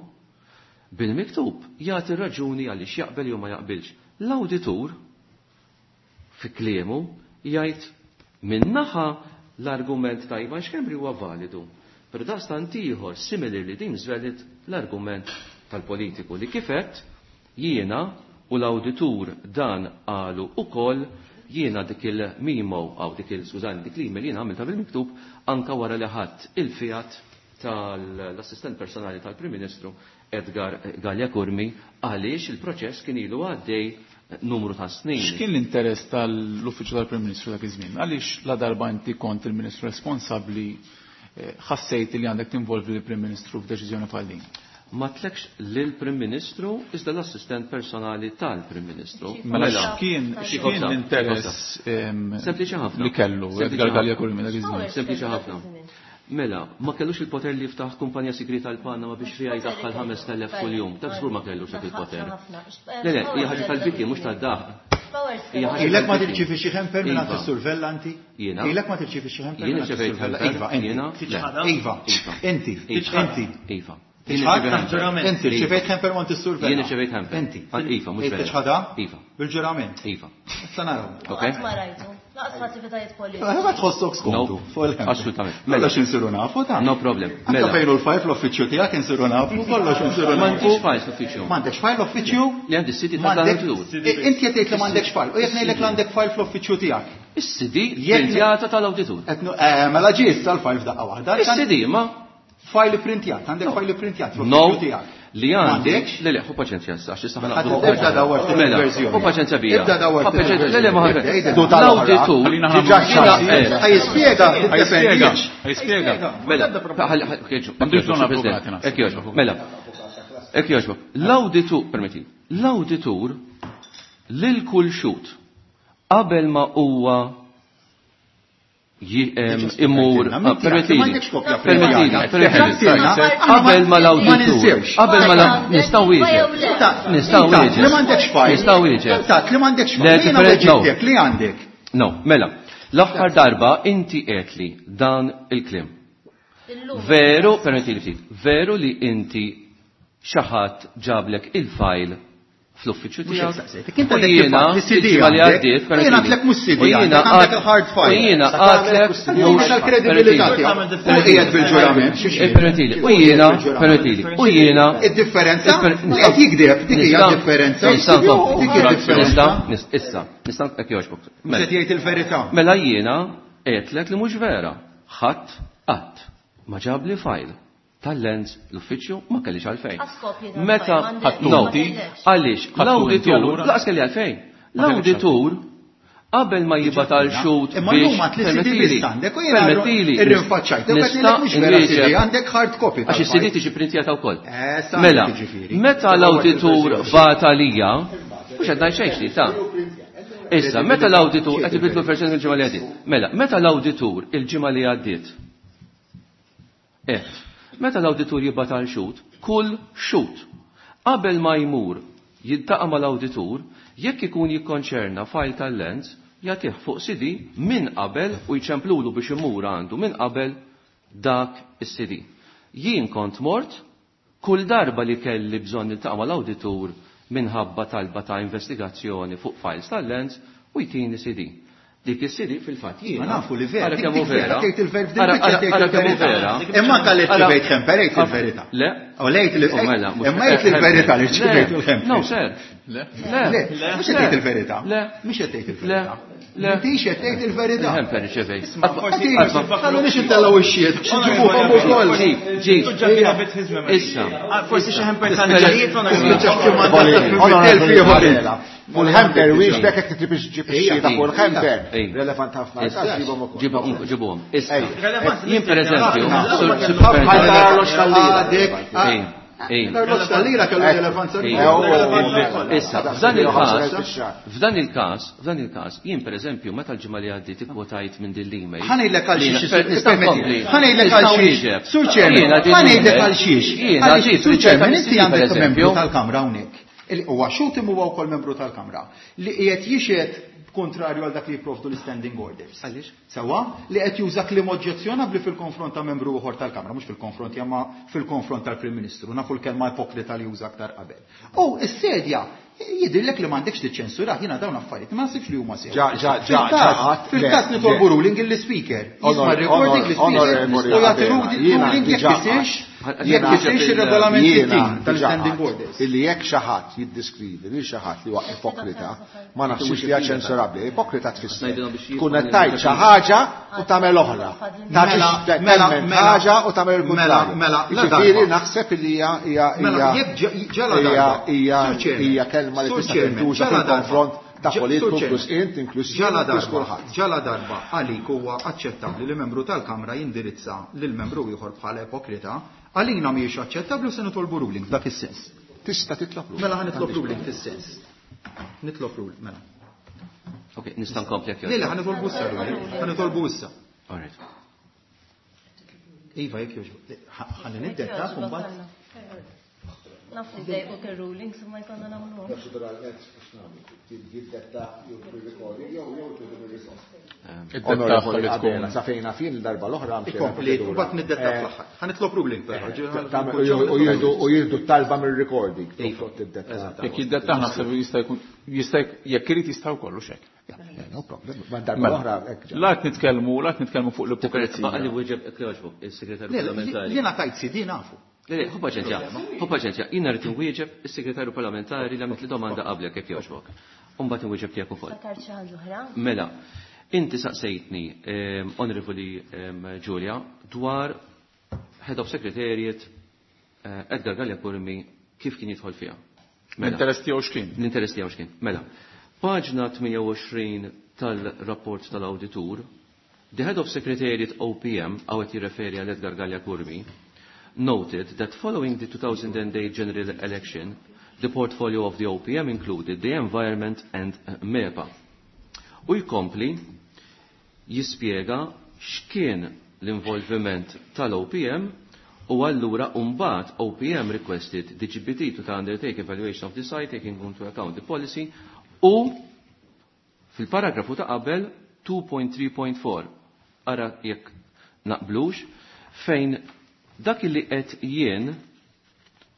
bil-miktub jagħti raġuni għaliex jaqbel jew ma jaqbilx. L-awditur fi kliemu jgħid min-naħa l-argument ta' Ivan Schembri huwa validu. Però daqstant ieħor similarly deems valid l-argument tal-politiku li kifet jiena u l-awditur dan qalu ukoll jiena dik il-memo għaw dik il skużani dik l-email jiena għamilta bil-miktub anka wara li ħadd il-fiat tal-assistent personali tal-Prim Ministru Edgar Galea Curmi għaliex il-proċess kien ilu għaddej numru ta' snin. X'kien l-interess tal-Uffiċċju tal-Prim Ministru dak iż-żmien? Għaliex la darba inti kont il-Ministru responsabbli ħassejt li għandek tinvolvi l-Prim Ministru f'deċiżjoni bħal din? Ma tlekx lill-Prim Ministru iżda l-assistent personali tal-Prim Ministru. Mela x'kien l-interess Sempliċi ħafna. li kellu Edgar Galea Curmi dak iż-żmien? Sempliċi ħafna. Mela, ma kellux il-poter li jiftaħ kumpanija segreta l-Panama biex fiha jdaħħal 5,000 kuljum. Dak żgur ma kellux dak il-poter. Le, le, hija ħaġa tal-biki mhux tad-daħ. Ilek ma tirċievi xi ħemper minn Iva. is-survella inti? Jiena? Ilek ma tirċievi xi ħemper Jiena minn ċevejt is-survella? ħemper. Iva, inti. Jiena? Le. Iva, Iva. inti. Iva. Inti. Iva. Tiċħad? Inti rċevejt ħemper minn is-survella. Jiena ċevejt ħemper. Inti. Iva, mhux vera. Tiċħadha? Iva. Bil-ġurament. Iva. Issa naraw. Ok. Qatt ma rajtu. Laqas f'attivitajiet politiċi. Ma tħossok skomdu No. fuq il-ħemper. Assolutament. Mela x'insiru nafu ta' No problem. Anka Mela. fejn hu l-fajl fl-uffiċċju tiegħek insiru nafu, kollox insiru nafu. M'għandix fajl fl-uffiċċju. M'għandekx fajl l-uffiċċju? Li għandi s-CD M'għandek- tal-awditur. Inti qed tgħid li m'għandekx fajl, u jekk ngħidlek li għandek fajl fl-uffiċċju tiegħek. Is-CD Jekk- printjata tal-awditur. Mela ġie issa l-fajl f'daqqa waħda. Is-CD ma Fajl printjat, għandek fajl printjat No, fl-uffiċċju tiegħek. li għandi. M'għandekx? Le, le, ħu paċenzja issa, għax issa Ħadd Ibda dawar ftit Mela, il-verżjoni. ħu paċenzja bija. Ibda dawar Ħu ftit paċenzja, le, le, ma il-verżjoni. ħadd. Ibda, ibda. L-awditur. Ħallina ħa Diġà nagħmlu- xaqsi. Eh. Ħa jispjega, Ħajspjega, tiddefendix. ħajspjega. Mela, ħalli, M'għandux bżonn avukati, naħseb. Hekk jogħġbok, mela. Hekk jogħġbok. L-awditur, permetti, l-awditur lil kull xut qabel ma huwa imur, permettili, M'għandekx kopja permettili, printjata. permettili. Ġattilna, Qabel ma Ma l-awditur, ninsewx. qabel ma l- nistgħu wieġeb. Nistgħu Inta, wieġeb. Li m'għandekx fajl. Nistgħu wieġeb. Inta, li m'għandekx Le, fajl. Jiena different- no. weġibtek li għandek. No, mela, l-aħħar darba inti qed li dan il-kliem. Veru, permettili ftit, veru li inti xi ħadd ġablek il-fajl fl-uffiċċju Mhux hekk tiegħek. saqsejtek. Inti U għandek jiena, il-fajl, is-CD il-ġimgħa li għandek. għaddiet, U jiena permettili. għandek mhux CD U jiena għandek, għandek il-hard U file. jiena għadlek Mhux tal-kredibilità tiegħek. U qiegħed bil-ġurament. xi xi. Eh, Permettili, u jiena, permettili, u jiena. Id-differenza li qed jikdeb, dik hija differenza. Dik hija differenza. Nista, issa, nista' hekk jogħġbok. Mhux qed jgħid il-verità. Mela jiena għedtlek li mhux vera. Ħadd qatt ma ġabli fajl tal-lens l-uffiċċju ma kellix għalfejn. Għaskopji tal-fajl, Meta m'għandek, no, ma kellekx. għaliex Ħadtu inti l-awditur, allura? laqas kelli għalfejn. Ma kellekx L-awditur qabel ma jibgħat għal xut Imma llum għad li CD biss għandek u jiena permettili, irrinfaċċajt. U qed nista' ngħidlek mhux vera CD, inwieġeb. għandek hard copy. Għax is-CD tal-fajl. tiġi printjata wkoll. Eh, sa Mela, għandek jiġifieri. meta l-awditur bat għalija, mhux qed ngħid xejn xli ta' Issa, meta l-awditur qed ibidlu l-verżjoni il-ġimgħa li għaddiet. Mela, meta l-awditur il-ġimgħa li għaddiet. Meta l-awditur jibgħat għal xut, kull xut qabel ma jmur jiltaqa' mal-awditur, jekk ikun jikkonċerna fajl tal-lens, jagħtih fuq CD minn qabel u jċemplulu biex imur għandu minn qabel dak is-CD. Jien kont mort kull darba li kelli bżonn niltaqa' mal-awditur minħabba talba ta' investigazzjoni fuq files tal-lens u jtini CD. Dik is-CD fil-fatt jiena. Ma nafu li vera, Ara dik kemm hu dik vera, vera. tgħid il-ver f'din Ara- biċċa ara- tgħid ara kemm hu il-verità. vera. Imma anke li Ara- ċivejt ħemper, għid il-verità. Le. U lejt li Oh, mela, mhux- imma jgħid il-verità li ċivejt il-ħemper. No, sir. Le. Le. Le, mhux qed tgħid il-verità. Le. Mhux qed tgħid il-verità. Le. M'intix qed tgħid il-verità. Il-ħemper ċivejt. Ħallu nix intellgħu ix-xiet biex iġibuhom ukoll. Ġib, ġib. Issa. Forsi xi ħemper tal-ġarijiet Fuq il-ħemper, wiex bekk jekk trid ġib ix-xhieda fuq il-ħemper. Ej. Relevant ħafna. Issa. Ġibhom ukoll. Ġibhom, ġibhom. Issa. Ej. Jien per eżempju, Bħal tal-arloġġ tal-lira. Għadek, Ej. L-arloġġ tal-lira kellu rilevanza. Issa, f'dan il-każ, f'dan il-każ, jien pereżempju meta l-ġimgħa li għaddiet ikkwotajt minn din l-email. Ħa ngħidlek għal xiex, ħa ngħidlek għal xiex. Sur Chairman, ħa ngħidlek għal xiex. Sur Chairman, inti għandek membru tal-Kamra hawnhekk. Huwa xhud imma huwa wkoll membru tal-Kamra li qiegħed jixhed kontrarju għal dak li jipprovdu l-standing orders. Għaliex? Sewwa, li qed juża kliem oġġezzjonabbli fil-konfront ta' membru ieħor tal-Kamra, mhux fil-konfront imma fil-konfront tal-Prim Ministru, nafu l-kelma ipokrita li juża aktar qabel. U s-sedja jidhirlek li m'għandekx tiċċensura, jiena dawn affarijiet ma nasibx li huma sew. Fil-każ nitolbu ruling il-speaker. Jisma' recording l-speaker u jagħti ruling jekk kisirx jekk kisirx ir-regolament 60 tal-standing orders. Illi jekk xi ħadd jiddiskrivi lil xi ħadd li huwa ipokrita, ma naħsibx li hija ċensurabbli. Ipokrita tfisser tkun qed tgħid xi ħaġa u tagħmel oħra. Mela ħaġa u tagħmel il-kuntrarju. Mela, Ġifieri naħseb li hija hija hija hija kelma li tista' tintuża fil-konfront ta' politiku inkluż int, inkluż ġala darba, ġala darba għalik huwa aċċettabbli li membru tal-Kamra jindirizza lil membru ieħor bħala ipokrita, għalina mhijiex aċċettabbli u se nitolbu ruling f'dak is-sens. Tista' titlob ruling. Mela ħa nitlob ruling fis-sens. Nitlob ruling, mela. Ok, nista' nkompli jekk. Le, le, ħa nitolbu issa ruling. Ħa nitolbu issa. All right. Iva, jekk jogħġbok. Ħalli niddetta mbagħad. Naf li dejqu ir-rulings imma jkollna nagħmluhom. Naturalment, jiddetta jew bil-recording jew jew bil-recording. Id-detta li tkun. Sa fejna fin darba l-oħra. Ikompli, mbagħad niddetta fl-aħħar. Ħa nitlob ruling però. U jieħdu talba mir-recording. Jekk jiddetta naħseb jista' jkun jista' jekk irid jista' wkoll u xek. No problem. Ma darba l-oħra hekk. La qed nitkellmu, la qed nitkellmu fuq l-ipokrizija. Baqa li wieġeb jogħġbok is-segretarju parlamentari. Jiena tajt sidi nafu. Le, ħu paċenzja, ħu paċenzja. Jiena rrid inwieġeb is-segretarju parlamentari li għamilt li domanda qablek jekk jogħġbok. U mbagħad inwieġeb tiegħek ukoll. Fakar xi ħaġa oħra? Mela, inti saqsejtni, Onorevoli Giulia, dwar Head of Secretariat Edgar Galea Curmi kif kien jidħol fiha. Mela. L-interess tiegħu x'kien? L-interess tiegħu x'kien. Mela, paġna 28 tal-rapport tal-awditur, the Head of Secretariat OPM, għawet jirreferi għal Edgar Galea Curmi, noted that following the 2008 general election, the portfolio of the OPM included the environment and MEPA. U jkompli jispjega x'kien l-involviment tal-OPM u allura mbagħad OPM requested the GPT to undertake evaluation of the site taking into account the policy u fil-paragrafu ta' qabel 2.3.4 ara jekk naqblux fejn dak li qed jien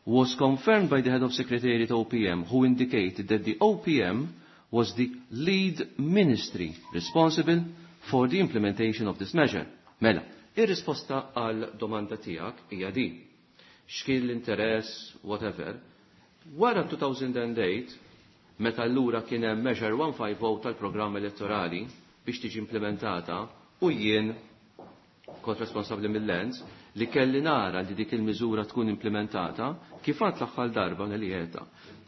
was confirmed by the head of secretariat OPM who indicated that the OPM was the lead ministry responsible for the implementation of this measure. Mela, ir-risposta għal domanda tiegħek hija di. X'kien l-interess, whatever. Wara 2008, meta allura kien hemm Measure 150 tal-programm elettorali biex tiġi implementata u jien kont responsabbli mill-Lands li kelli nara li dik il-miżura tkun implementata kif għad l-aħħar darba li qiegħda.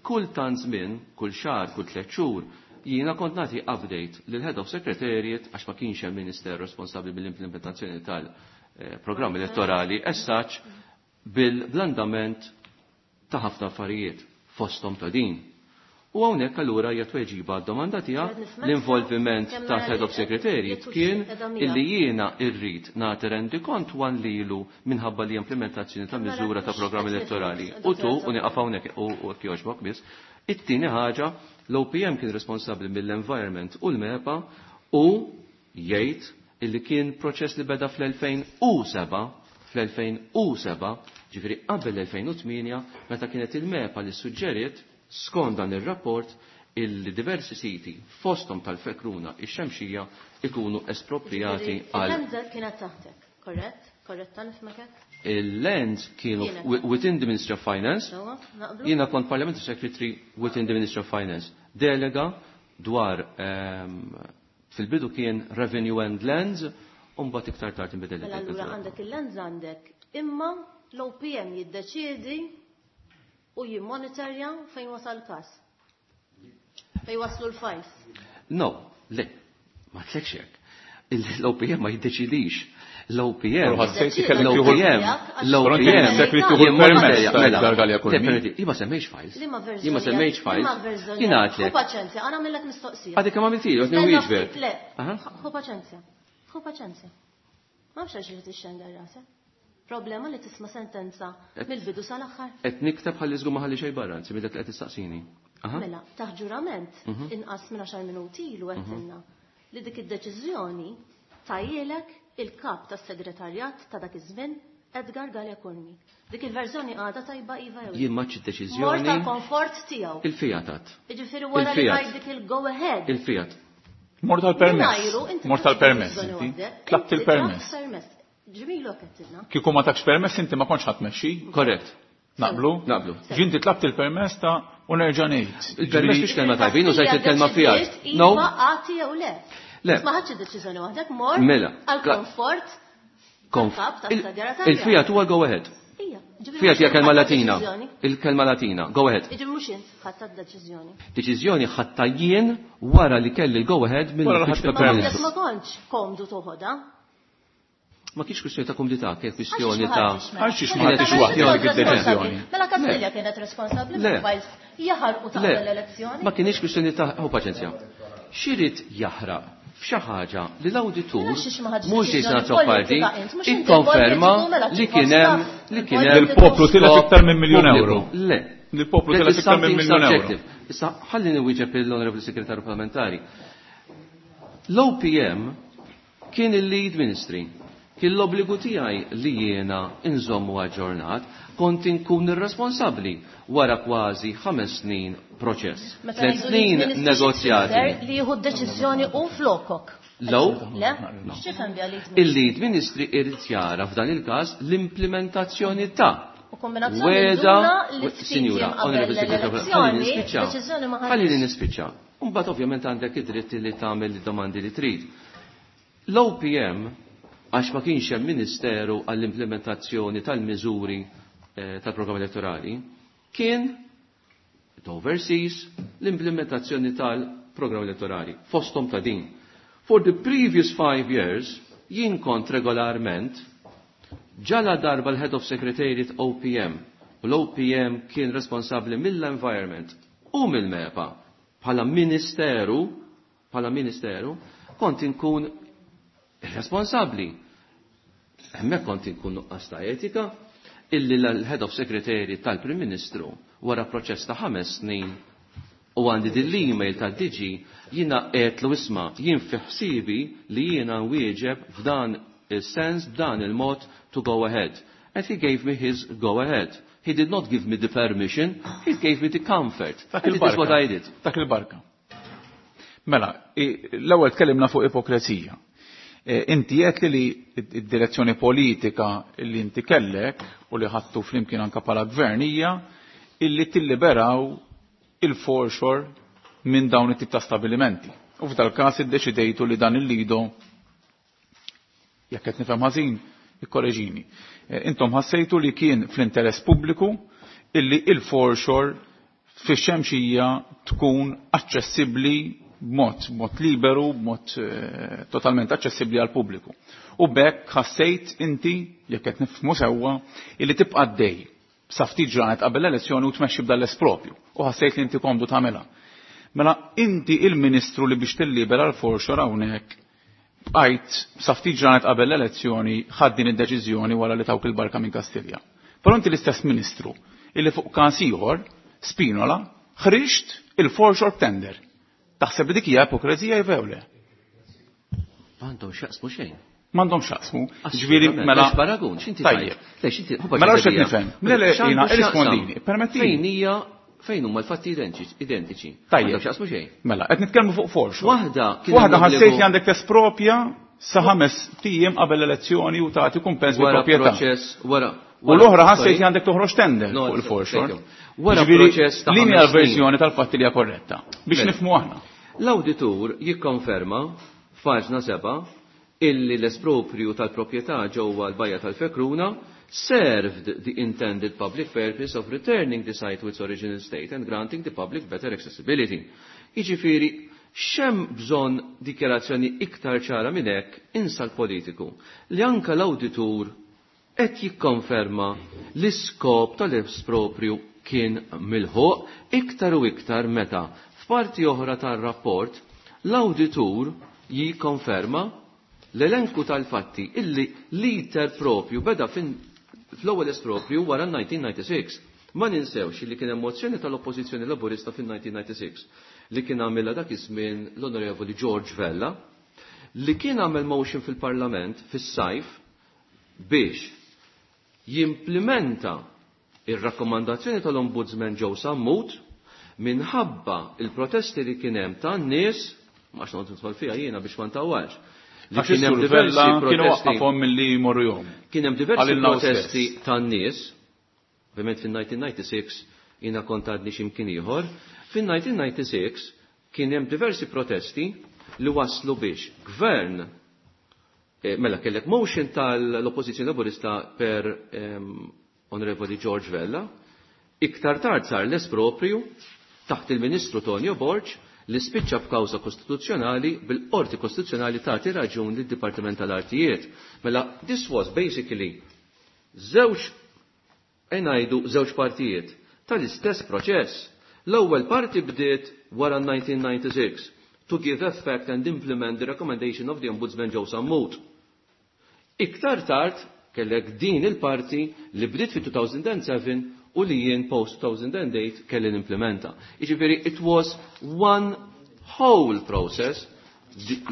Kull tant żmien, kull xahar, kull 3 xhur, jiena kont nagħti update lil Head of Secretariat għax ma kienx hemm minister responsabbli mill-implementazzjoni tal-programm elettorali as such bil-blandament ta' ħafna affarijiet fosthom ta' din. U hawnhekk allura hija tweġiba għad-domanda tiegħek l-involviment ta' Head of Secretariat kien illi jiena rrid nagħti rendikont wan lilu minħabba li implementazzjoni ta' miżura ta' programm elettorali. U tu u nieqaf hawnhekk u hekk jogħġbok biss. It-tieni ħaġa l-OPM kien responsabbli mill-environment u l-MEPA u jgħid illi kien proċess li beda fl-2007 fl-2007, ġifieri qabel l-2008, meta kienet il-MEPA li suġġeriet skont dan ir-rapport il-diversi siti fosthom tal-Fekruna ix-Xemxija ikunu espropriati għal. Il-Lands kienet taħtek, korrett? Korretta nifhmek hekk? Il-Lands kienu within the Ministry of Finance. Jiena kont Parliamentary Secretary within the Ministry of Finance. Delega dwar fil-bidu kien Revenue and Lands, u mbagħad iktar tard inbidel. Mela allura għandek il-Lands għandek, imma l-OPM jiddeċiedi u jimmonitorja fejn wasal każ. Fejn waslu l-files. No, le, ma tlekx hekk. L-OPM ma jiddeċidix. L-OPM. Però ħassejt li kellek tieħu L-OPM. Però inti L-OPM. ħassejt li tieħu Jien ma l-permess nistejja, ta' mela, Edgar Galea Curmi. Definitely, Jien ma semmejx files. Liema verżjoni? Jien ma semmejx Liema files. verżjoni? Jien għadlek. Ħu paċenzja, għana għamillek mistoqsija. Għadek kemm għamiltili, għadni Stenna wieġbek. ftit, Le, Aha. ħu paċenzja. Ħu paċenzja. Ma nafx għax li tixxendar rasek. Problema li tisma' sentenza mill-bidu sal-aħħar. Qed nikteb ħalli żgur ma ħalli xejn barra, anzi minn dak li qed tistaqsini. Aha. Mela, taħt ġurament inqas minn 10 minuti ilu għedtilna li dik id-deċiżjoni tajjelek il-kap tas-segretarjat ta' dak iż-żmien Edgar Galea Curmi. Dik il-verżjoni għadha tajba iva jew le. Jien maċ Mort id-deċiżjoni tal-komfort tiegħu. il-Fiat. Jiġifieri wara li Il-Fiat. tajt dik il-go ahead. Il-Fiat. Mort tal-permess. Mingħajru, inti Mort tal-permess ħadt inti. deċiżjoni Tlabt waħdek. Inti il-permess. tlabt permess. Ġmilu għettilna. Kieku ma takx permess inti ma kontx ħatmexxi. Korrett. Naqblu? Naqblu. Ġinti tlabt il-permess ta' u nerġa' ngħid. Il-permess mhix kelma tajbin, użajt il-kelma Fiat. No. No. Iva għati jew le. Le. Ma ħadx id-deċiżjoni waħdek, mort Mela. għal-komfort Konf. tal-kap tas-segretarjat. Il-Fiat huwa go ahead. Ija, ġifieri Fiat mhux hija int kelma ħadt Latina. deċiżjoni. Il-kelma Latina. Go ahead. Jiġifieri mhux int ħadd deċiżjoni. Deċiżjoni ħatta jien wara li kelli l-go ahead Wara li mill-Uffiċċju ħadt tal-Prim Ma il-permess. jekk Ministru. ma kontx komdu toħodha. Ma kienx kwistjoni ta' kumdità, kienet kwistjoni ta' Għalxiex ma Kienet ħadtix waħdek kwistjoni- dik id-deċiżjoni. Mela Kastilja kienet responsabbli Le. mill-files jaħarqu ta' Le, qabel l-elezzjoni. ma kienx kwistjoni ta' ħu paċenzja. Xirid jaħraq f'xi ħaġa li l-awditur Mela xiex ma ħadx mhux Jason deċiżjoni Azzopardi politika int, mhux inti ikkonferma politiku, mela li chief of kien hemm staff, li kien hemm Il-poplu tilef skop iktar minn miljun pubbliku. euro. Le. Il-poplu That tilef is iktar minn something miljun euro. subjective. Issa ħalli niwieġeb l-Onorevoli Segretarju Parlamentari. L-OPM kien il-lead ministry. Kien l-obbligu tiegħi li jiena inżommu aġġornat kont inkun irresponsabbli wara kważi 5 snin proċess. Meta Tliet ngħidu snin li ministri negozjati. x'tfisser Li jieħu d-deċiżjoni u flokok. Low? Le? X'tifhem biha lead ministry? Il-lead ministry irid jara f'dan il-każ l-implementazzjoni ta' U kombinazzjoni Weda, nduna li ftit Sinjura, jiem qabel Honorable Secretary, ħalli l-elezzjoni, nispiċċa. deċiżjoni ma Ħalli ħadx. nispiċċa. Mbagħad ovvjament għandek id-dritt li tagħmel id-domandi li trid. L-OPM għax ma kienx hemm ministeru għall-implementazzjoni tal-miżuri tal-programm elettorali, kien it oversees l-implementazzjoni tal-programm elettorali, fosthom ta' din. For the previous 5 years, jien kont regolarment ġala darba l-Head of Secretariat OPM u l-OPM kien responsabli mill-environment u mill-MEPA bħala ministeru, kont inkun responsabli. Hemmhekk kont inkun nuqqas ta' etika illi l-Head of Secretariat tal-Prim Ministru wara proċess ta' 5 snin u għandi din l-email tad-DG jiena qedlu isma' jien fi ħsibi li jiena nwieġeb f'dan is-sens b'dan il-mod to go ahead. And he gave me his go ahead. He did not give me the permission, he gave me the comfort. Dak And it is what il-barka. I did. Dak il-barka. Mela, l-ewwel tkellimna fuq ipokrezija. Inti qed li id-direzzjoni politika li inti kellek u li ħadtu flimkien anke bħala gvern hija illi tilliberaw il-foreshore minn dawn it-tip ta' stabilimenti. U f'dal każ iddeċidejtu li dan il-lido jekk qed nifhem ħażin, ikkoreġini. Intom ħassejtu li kien fl-interess pubbliku illi il-foreshore fix-xemxija tkun aċċessibbli b'mod liberu, b'mod totalment aċċessibbli għal pubbliku. U b'hekk ħassejt inti, jekk qed nifhmu sewwa, illi tibqa' għaddej sa ftit ġranet qabel l-elezzjoni u tmexxi b'dan l-espropju. U ħassejt li inti komdu tagħmilha. Mela inti il-ministru li biex tillibera l-foreshore hawnhekk bqajt sa ftit ġranet qabel l-elezzjoni ħadd din id-deċiżjoni wara li tawk il-barka minn Kastilja. Però inti l-istess ministru illi fuq każ ieħor, Spinola, ħriġt il-foreshore tender. Taħseb li dik hija ipokrezija jew le? M'għandhom x'jaqsmu xejn. M'għandhom x'jaqsmu. Ġifieri Assolutament. mela Lex paragun, x'inti Tajjeb. tajt? Lex inti Mela x'qed nifhem? Le, le, jiena, irrispondini, permettili. Fejn hija fejn huma l-fatti identiċi. Tajjeb. M'għandhom x'jaqsmu xejn. Mela, qed nitkellmu fuq foreshore. Waħda kien Waħda hemm ħassejt obbligu- li għandek tespropja sa 5 tiem qabel l-elezzjoni u tagħti kumpens bi Wara proprjetà. proċess, wara. U l-oħra ħassejt sorry. li għandek toħroġ tender No, fuq il-foreshore. thank you. Wara Ġifieri, proċess ta' Lin hija ħames snin. l-verżjoni tal-fatti li hija korretta biex Mela. nifhmu aħna. L-awditur jikkonferma f'paġna 7 illi l-esproprju tal-proprjetà ġewwa l-Bajja tal-Fekruna served the intended public purpose of returning the site to its original state and granting the public better accessibility. Jiġifieri, X'hemm bżonn dikjarazzjoni iktar ċara minn hekk insa l-politiku li anka l-awditur qed jikkonferma l-iskop tal-esproprju kien milħuq iktar u iktar meta f'parti oħra tar-rapport l-awditur jikkonferma l-elenku tal-fatti illi l-iter propju beda fl-ewwel esproprju wara 1996. Ma ninsewx li kien hemm mozzjoni tal-Oppożizzjoni Laburista fin-1996 li kien għamilha dak iż-żmien l-Onorevoli George Vella li kien għamel motion fil-Parlament fis-sajf biex jimplementa ir-rakkomandazzjoni tal-Ombudsman Joe Sammut minħabba il-protesti li kien hemm tan-nies, ma x'noqgħod nidħol fiha jiena biex ma ntawwalx, li Għax kien hemm is-Sur diversi Vella kienu protesti waqqafhom milli jmorru jom. Kien hemm diversi Għalilna hu protesti stess. tan-nies, ovvjament fin-1996 jiena kont għadni x'imkien ieħor, fin-1996 kien hemm diversi protesti li waslu biex gvern mela kellek motion tal-Oppożizzjoni Laburista per Onorevoli George Vella, iktar tard sar l-esproprju taħt il-Ministru Tonio Borg li spiċċa b'kawża kostituzzjonali bil-Qorti Kostituzzjonali tagħti raġun lid-Dipartiment tal-Artijiet. Mela this was basically żewġ ngħidu żewġ partijiet tal-istess proċess. L-ewwel parti bdiet wara 1996 to give effect and implement the recommendation of the Ombudsman Joe Sammut. Iktar tard kellek din il-parti li bdiet fi 2007 u li jien post 2008 kelli nimplementa. Jiġifieri it was one whole process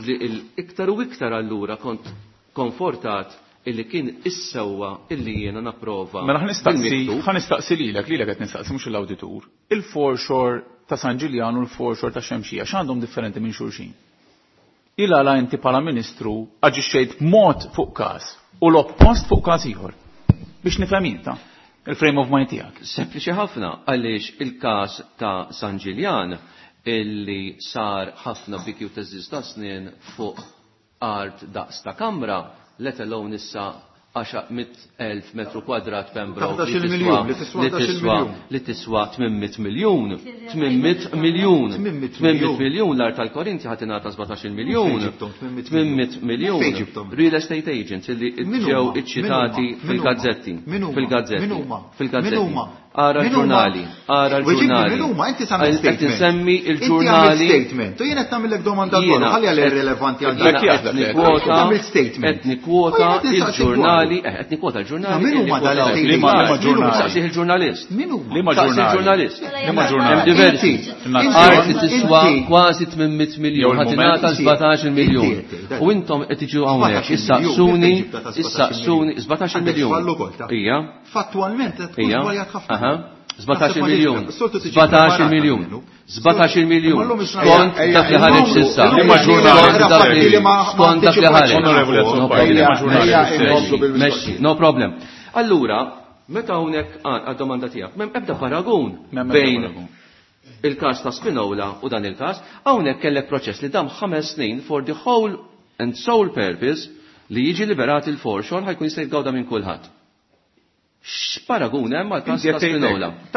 li iktar u iktar allura kont konfortat illi kien is-sewwa illi jiena napprova. Mela ħa bil-miktub. nistaqsi lilek, lilek qed nistaqsi mhux l-awditur. Il-foreshore ta' San Ġiljan u l-foreshore ta' Xemxija x'għandhom differenti minn xulxin? Il għala inti bħala ministru aġixxejt b'mod fuq każ u l-oppost fuq każ ieħor. Biex nifhem inta il-frame of mind tiegħek. Sempliċi ħafna għaliex il-każ ta' San Ġiljan illi sar ħafna biki u teżiż ta' snin fuq art daqs ta' kamra, let alone issa 10,000 metru kwadrat Pembroke 11 miljun, li tiswa li 11 tiswa miljun. li tiswa 800 miljun, 800 miljun, 800 800 miljun. miljun l-art tal-Korinti ħadd ingħata 17 miljun, Fejn ġibthom 800 miljun? 800 miljun. Fejn ġibthom? Real estate agents illi Min ġew huma? iċċitati Min huma? fil-gazzetti, Min huma? fil-gazzetti, Min huma? fil-gazzetti. Min huma? Ara Min huma? l-ġurnali, ara Weġibni, l-ġurnali. Min huma? Inti tagħmel Qed statement. insemmi Inti għamilt il-ġurnali. statement. U jien qed nagħmellek domanda dwaru, Jiena ħalli għal qed- irrelevanti għal jiena dak. Jekk qed jaħdem, nikkwota- Tagħmel statement. Qed nikkwota U jien qed nistaqsi il-ġurnali, dwaru. qed nikkwota l-ġurnali. Ma min huma illi dal-estate kwotaw. Liema- liema agents? Min huma? ġurnali? Saqsih il-ġurnalist. Min huma? Liema Saqsi ġurnali? il-ġurnalist. Liema ġurnali? Hemm diversi. Inti- Art li tiswa inti- kważi 800 miljun, Jew ħadd il-moment. ingħata 17 miljun. Inti- inti- U intom qed tiġu hawnhekk 17 issaqsuni, miljun, kif ġibta ta' 17 issaqsuni miljun? 17 Għandek miljun. żball ukoll, ta' Ija. Fattwalment qed tkun Ija. żbaljat ħafna. Aha. 17 miljun. Soltu tiġi 17 preparata miljun. minnu. 17 miljun. Imma llum isna- Skont Ejja, dak li ejja, ħareġ llum- s'issa. llum Liema ġurnali? Skont dak li- Li ma- ma Skont dak li ħareġ. Onorevoli No Azzopardi, problem. liema ġurnali? Ejja, Mexxi, inkomplu bil-mistoqsija. Mexxi, no problem. Allura, meta hawnhekk għad-domanda tiegħek, m'hemm ebda paragun M'hemm ebda bejn paragun. il-każ ta' Spinola u dan il-każ, hawnhekk kellek proċess li dam 5 snin for the whole and sole purpose li jiġi liberat il-foreshore ħajkun jista' jitgawda minn kulħadd. X'paragun hemm għall-każ Inti ta' qed tgħid Spinola? hekk,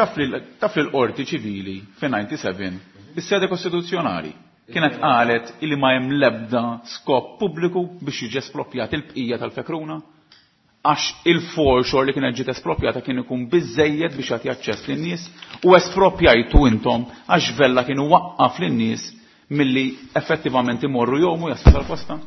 Taf li l-qorti ċivili fin-97 is-sede kostituzzjonali kienet qalet illi ma hemm l-ebda skop pubbliku biex jiġi espropjat il-bqija tal-fekruna għax il-foreshore li kienet ġiet espropjata kien ikun biżejjed biex jagħti aċċess lin-nies u espropjajtu intom għax Vella kienu waqqaf lin-nies milli effettivament imorru jomu jaslu tal-kosta.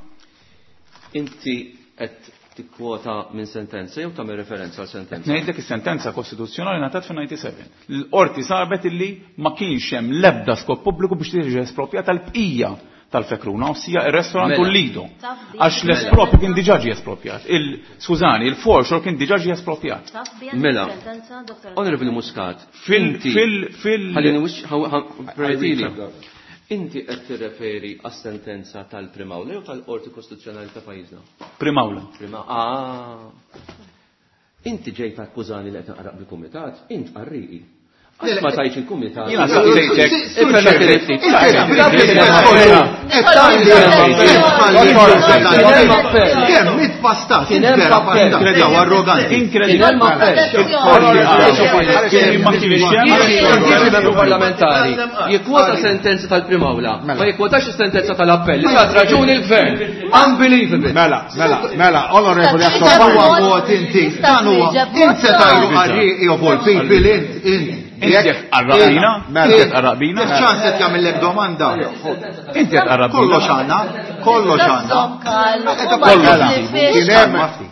Inti qed tikkwota minn sentenza jew tagħmel referenza għal sentenza? Ngħidlek is-sentenza kostituzzjonali ngħatat fin-97. L-qorti sabet illi ma kienx hemm l-ebda skop pubbliku biex tiġi espropjata l-bqija tal-fekruna, ossia ir-restorant u Mela. l-lido. Taf bi- Għax l-espropju kien diġà ġie espropjat. Skużani, il-foreshore kien diġà ġie espropjat. Taf bi Mela. sentenza, Dr. Onorevoli Muscat, Fil- inti fil- fil- ħallini wix permettili. I read Inti qed tirreferi għas-sentenza tal-Primawla jew tal-Qorti Kostituzzjonali ta' pajjiżna? Primawla. Prima, ah. Inti ġejt akkużani li qed naqraq bil-kumitat, int qarriqi. Għax ma tajx il-kumitat. Jiena saqsejtek. Kemm it-pastat, vera pastat, jew arroganti. Inkredibbli. Ma kienx hemm membru parlamentari jikkwota sentenza tal-Prim'Awla, ma jikkwotax is-sentenza tal-appell. Li tat raġuni l-gvern. Unbelievable. Mela, mela, mela, onorevoli Dan huwa mod inti, dan huwa int se tajru qarrieqi of all people int int. Inti qed tqarraqbina? Mela. Inti qed tqarraqbina? Jekk ċans qed jagħmellek domanda. Inti qed tqarraqbina? Kollox għandna, kollox għandna. Mela,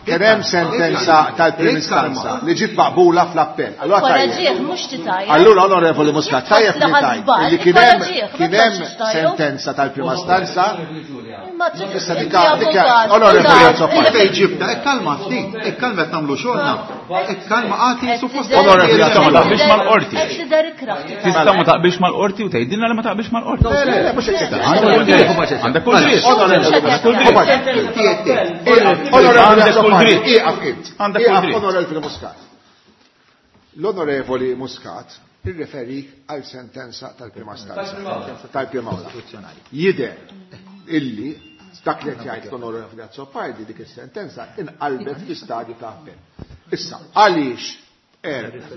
kien hemm sentenza tal-prim istanza li ġiet maqbula fl-appell. Allura tajjeb. Koraġieħ, mhux titajja. Allura onorevoli Muscat, tajjeb li tajt li kien hemm kien hemm Jekk sentenza tal-prima stanza Imma trid Issa inti dika avukat, onorevoli taf. Azzopardi. Fejn ġibta, ikkalma ftit, ikkalma qed nagħmlu xogħolna. Ikkalma għati suppost. Onorevoli Tista' ma taqbilx mal-qorti. Qed tidher ikrah titajja. Tista' ma taqbilx mal-qorti u tgħidilna li ma taqbilx mal-qorti. Le, le, le, mhux hekk qed Għandek kull dritt. Onorevoli Għandek kull dritt. Onorevoli Għandek kull Azzopardi, dritt. ieqaf int. Għandek kull Ieqaf dritt. onorevoli Muscat. L-onorevoli Muscat irreferik għal sentenza tal-prima stanza. Tal-prima awla. Jidher illi dak li qed jgħid l-onorevoli Azzopardi dik is-sentenza inqalbet fi stadju ta' appell. Issa, għaliex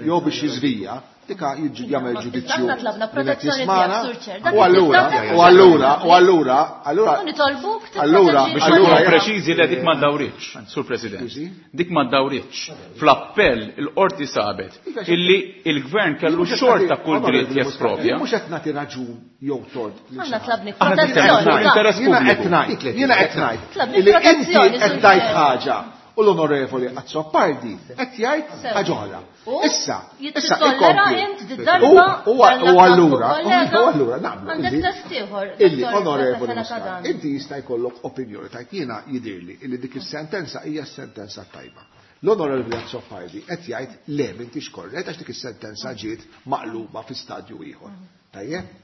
jew biex jiżvija, dika jagħmel ġudizzju. Aħna tlabna min qed protezzjoni jismana, tiegħek, Sur Chair. Dak U allura, tista' u allura, u allura, allura. U nitolbuk Allura, tipproteġi Biex allura, nkunu preċiżi li dik ma ddawritx, Sur President. Scusi? Dik ma ddawritx. Fl-appell il-qorti sabet illi il-gvern kellu xorta kull dritt jespropja. Mhux qed nagħti raġun jew tort. lil Aħna xi ħadd. tlabni Aħna nitkellmu protezzjoni. fuq ta' interess Jiena qed pubbliku. ngħid, jiena qed ngħid Tlabni illi inti protezzjoni, qed Sur tgħid Chair. ħaġa u l-onorevoli Azzopardi qed jgħid Sew. ħaġa oħra. U Issa, issa jittollera ikompli. int di-darba U u allura, kollega, u allura naqblu. Għandek illi- test ieħor. Illi Dottor onorevoli Fela Muscat, Kadan. inti jista' jkollok opinjoni tajt jiena jidirli illi dik is-sentenza hija s-sentenza tajba. L-onorevoli Azzopardi qed jgħid le m'intix korrett għax dik is-sentenza ġiet maqluba fi stadju ieħor. Tajjeb?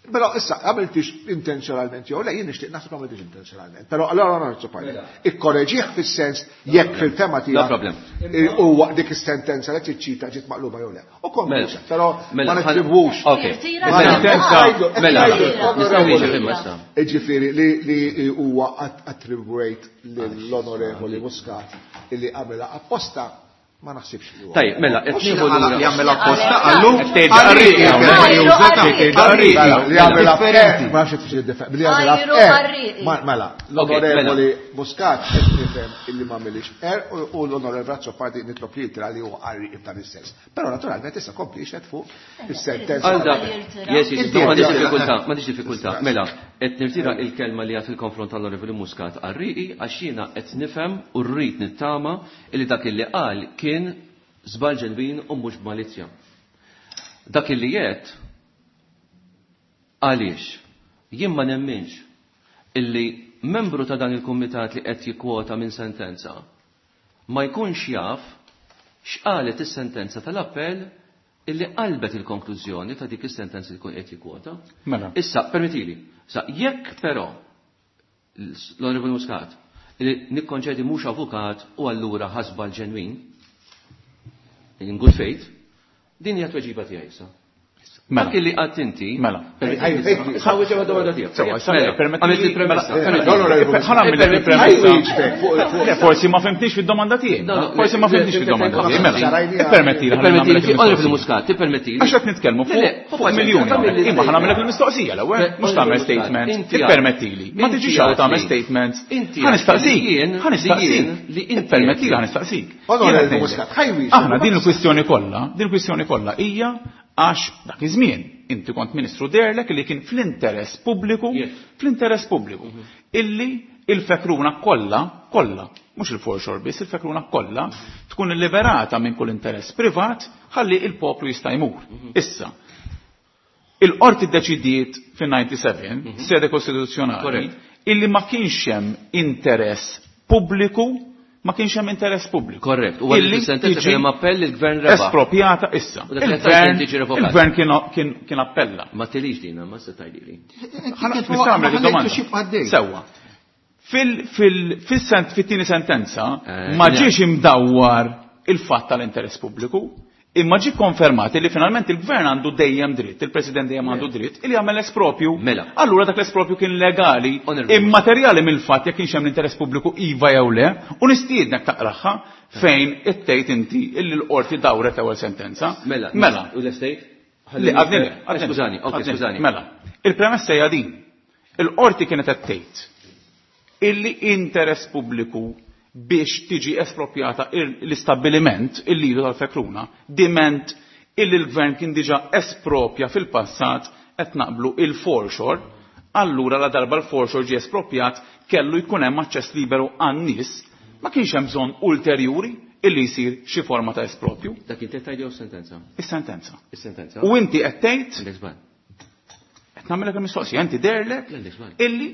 Però issa għamiltix intenzjonalment jew le jien nixtieq naħseb għamiltix intenzjonalment. Però allora onorevoli Azzopardi, ikkoreġih fis-sens jekk fil-tema No tiegħek problem. huwa dik is-sentenza li tiċċita ġiet maqluba jew le. U Mela. konkluż, però Mela, ma nittribwux. Ok. Jirtira Ma Sentenza- Mela, Jirtira. nistgħu wieġeb imma issa. Ġifiri, li huwa attribuejt l-onorevoli Muscat illi għamela apposta ma naħsibx li huwa. Tajjeb, mela, qed Mhux nieħu li lura. jagħmel apposta għallu. Qed tgħid qarrieqi hawnhekk. Qarrieqi. Qarrieqi. Mela, li għamela Differenti. ma nafx xi differ- li għamela Ajru qarrieqi. Mela, l-onorevoli Muscat qed nifhem illi ma għamilix er u l-onorevoli Azzopardi nitlob li jitra li huwa qarrieqi f'dan is-sens. Però naturalment issa kompli xed fuq is-sentenza. Għal dak, yes, yes, Inti no, m'għandix għed- diffikultà, m'għandix diffikultà. Mela, qed nirtira il-kelma li għad fil-konfront tal-Onorevoli Muscat qarrieqi għax jiena qed nifhem u rrid nittama illi dak illi qal kien żball ġenwin u mhux b'malizzja. Dak illi jgħid għaliex jien ma nemminx illi membru ta' dan il-kumitat li qed jikkwota minn sentenza ma jkunx jaf x'qalet is-sentenza tal-appell illi qalbet il-konklużjoni ta' dik is-sentenza li jkun qed jikkwota. Mela. Issa, permettili, issa jekk però l-Onorevoli Muscat li nikkonċedi mhux avukat u allura ħasba l-ġenwin in good faith, din hija tweġiba tiegħi issa. Mela. Dak illi qatt inti. Mela. Ħawwi ġewwa domanda tiegħek. Sewa, issa Mela, permetti għamilt li- il-premessa. mela, permettili. Onorevoli Ħa nagħmel il-premessa. Ħajwieġbek fuq Le, forsi ma fimtix fid-domanda tiegħi. No, no, Forsi ma le, fimtix le, fid-domanda le, tiegħi. Mela, le, ippermettili ħalli Permettili, nagħmlek Onorevoli il-mistoqsija. Muscat, tippermettili. Għax qed nitkellmu Le, le, fuq fuq miljuni. tagħmel Imma ħa nagħmlek il-mistoqsija l-ewwel, Le, mhux tagħmel Onorevoli Muscat, statement. inti għad- Ippermettili. Ma inti tiġix hawn għad tagħmel li- statement. inti Ħa għad li nistaqsik. jien- Ħa li nistaqsik. jien- li inti Ippermettili għad ħa li- nistaqsik. Onorevoli Jiena qed Muscat, ngħidlek. ħajwieġbek. Aħna din il-kwistjoni kollha, din il-kwistjoni kollha hija għax dak iż-żmien inti kont ministru derlek li kien fl-interess pubbliku, Yes. fl-interess pubbliku, illi il-fekruna kollha, kollha, mhux il-foreshore biss, il-fekruna kollha tkun liberata minn kull interess privat ħalli il-poplu jista' jmur. Issa, il-qorti ddeċidiet fin-97, sede kostituzzjonali, Correct. illi ma kienx hemm interess pubbliku, ma kienx hemm interess pubbliku. Korrett. U għalli Illi sentenza tiġi kien hemm appell il-gvern rebaħ. Espropjata issa. U dak li Il-gvern qed tiġi revokat. il-gvern kien appella. Ma tilix din, ma se tgħidili. Nista' nagħmlek id-domanda. Sewwa. Fil-tieni sentenza ma ġiex imdawwar il-fatt tal-interess pubbliku. Imma ġi konfermat li finalment il-gvern għandu dejjem dritt, il-president dejjem għandu dritt, li jagħmel espropju. Mela. Allura dak l-espropju kien legali, Onorevoli. immaterjali mill-fatt jekk kienx hemm l-interess pubbliku iva jew le, u nistiednek taqraħħa fejn ittejt inti illi l-qorti dawret l-ewwel sentenza. Mela. Mela. U l-estate? Le, għadni le. għadni le. Skużani, ok, Għadni le. skużani. Mela, il-premessa hija din. Il-qorti kienet qed tgħid illi interess pubbliku biex tiġi espropjata l-istabbiliment il-lidu tal-fekruna, diment illi l-gvern kien diġa espropja fil-passat qed naqblu il-foreshore, allura la darba l-foreshore ġie espropjat kellu jkun hemm aċċess liberu għan-nies, ma kienx hemm bżonn ulterjuri illi jsir xi forma ta' espropju. Dak inti qed tgħid jew sentenza? Is-sentenza. Is-sentenza. U inti qed tgħid Għandek żball. qed nagħmilek il-mistoqsija, inti derlek Għandek żball. illi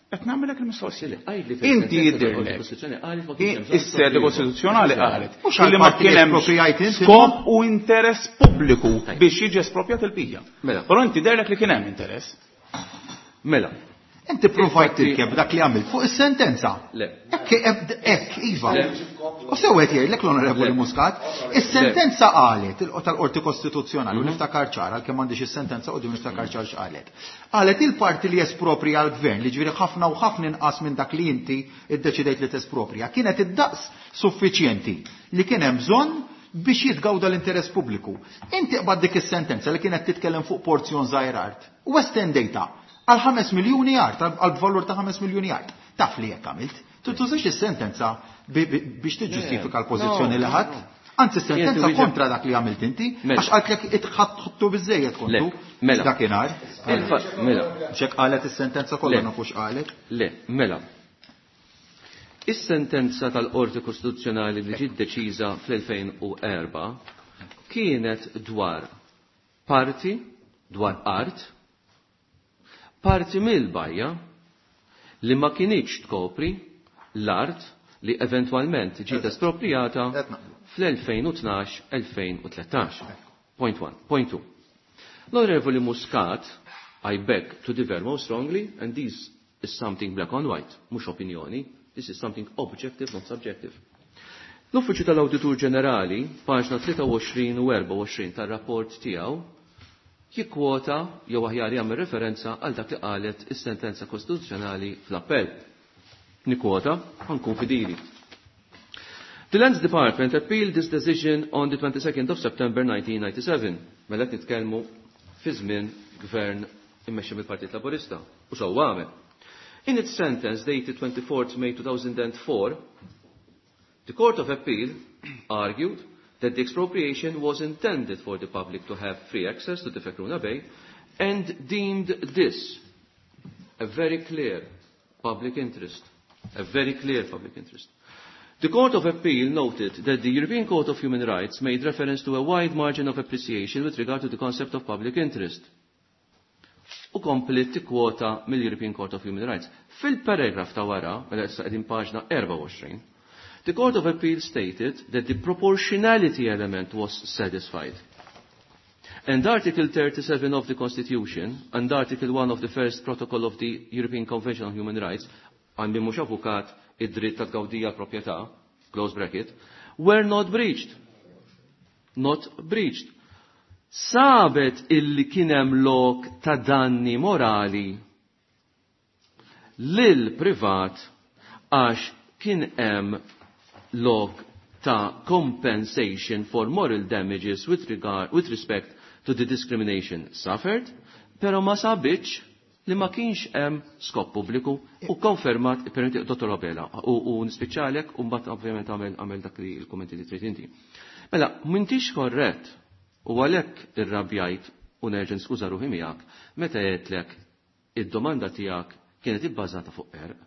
qed nagħmilek il-mistoqsija. Le, għidli fejn Inti sentenza tal-Qorti jidhirlek. Kostituzzjonali qalet ma kienx hemm bżonn Is-sede espropju. kostituzzjonali qalet Mhux illi ma għall-parti li kien hemm esproprijajt inti, skop u interess pubbliku Tajjeb. biex jiġi espropjat il-bija. Mela. Però inti derlek li kien hemm interess. Mela. Inti provajt Infatti- tirkeb dak li għamilt fuq is-sentenza. Le. Ekk, ekk, iva. Le. U sewet jgħidlek l-Onorevoli Le. Muscat, is-sentenza qalet tal-Qorti Kostituzzjonali, u niftakar ċar, għalkemm m'għandix is-sentenza qudiem niftakar ċar x'qalet. Qalet il-parti li esproprija l-gvern, li ġifieri ħafna u ħafna inqas minn dak li inti iddeċidejt li tesproprija, kienet id-daqs suffiċjenti li kien hemm bżonn biex jitgawda l-interess pubbliku. Inti qbad dik is-sentenza li kienet titkellem fuq porzjon żgħir art. U estendejta għal 5 miljuni art, għal valur ta' 5 miljuni art. Taf li jekk għamilt. Tużax is-sentenza biex tiġġustifika l-pożizzjoni No, li ħadd. Anzi, sentenza Jien kontra dak li għamilt inti, Mela. għax qaltlek itħattu biżejjed kontu. Le, mela. Dakinhar. Mela. Xek qalet is-sentenza kollha Le. nafux qalet. Le, mela. Is-sentenza tal-Qorti Kostituzzjonali li ġiet deċiża fl-2004 kienet dwar parti, dwar art, parti mill-bajja li ma kinitx tkopri l-art li eventwalment ġiet esproprijata Qed naqblu. fl-2012-2013. Point one. Point two. L-Onorevoli Muscat, I beg to differ most strongly, and this is something black on white, mhux opinjoni, this is something objective, not subjective. L-Uffiċċju tal-Awditur Ġenerali, paġna 23 u 24 tar-rapport tiegħu, jikkwota jew aħjar jagħmel referenza għal dak li qalet is-sentenza kostituzzjonali fl-appell. Nikkwota, ħankun fidili. The Lands Department appealed this decision on the 22nd of September 1997. Mela qed nitkellmu fi żmien gvern immexxi mill-Partit Laburista. U sewwa għamel. In its sentence dated 24th May 2004, the Court of Appeal argued that the expropriation was intended for the public to have free access to the Fekruna Bay and deemed this a very clear public interest. A very clear public interest. The Court of Appeal noted that the European Court of Human Rights made reference to a wide margin of appreciation with regard to the concept of public interest. U komplet tikkwota mill-European Court of Human Rights. Fil-paragraf ta' wara, mela issa qegħdin paġna 24, the Court of Appeal stated that the proportionality element was satisfied. And Article 37 of the Constitution and Article 1 of the First Protocol of the European Convention on Human Rights, għandi mhux avukat id-dritt ta' tgawdija proprjetà, close bracket, were not breached. Not breached. Sabet illi kien hemm lok ta' danni morali lil privat għax kien hemm lok ta' compensation for moral damages with regard with respect to the discrimination suffered, pero ma sabitx li ma kienx hemm skop pubbliku u konfermat permetti Dottor Abela u nispiċċalek u mbagħad ovvjament għamel dak li l-kummenti li trid inti. Mela, m'intix korrett u għalhekk irrabjajt u nerġa' niskuża ruħi miegħek meta għedtlek id-domanda tiegħek kienet ibbażata fuq erq.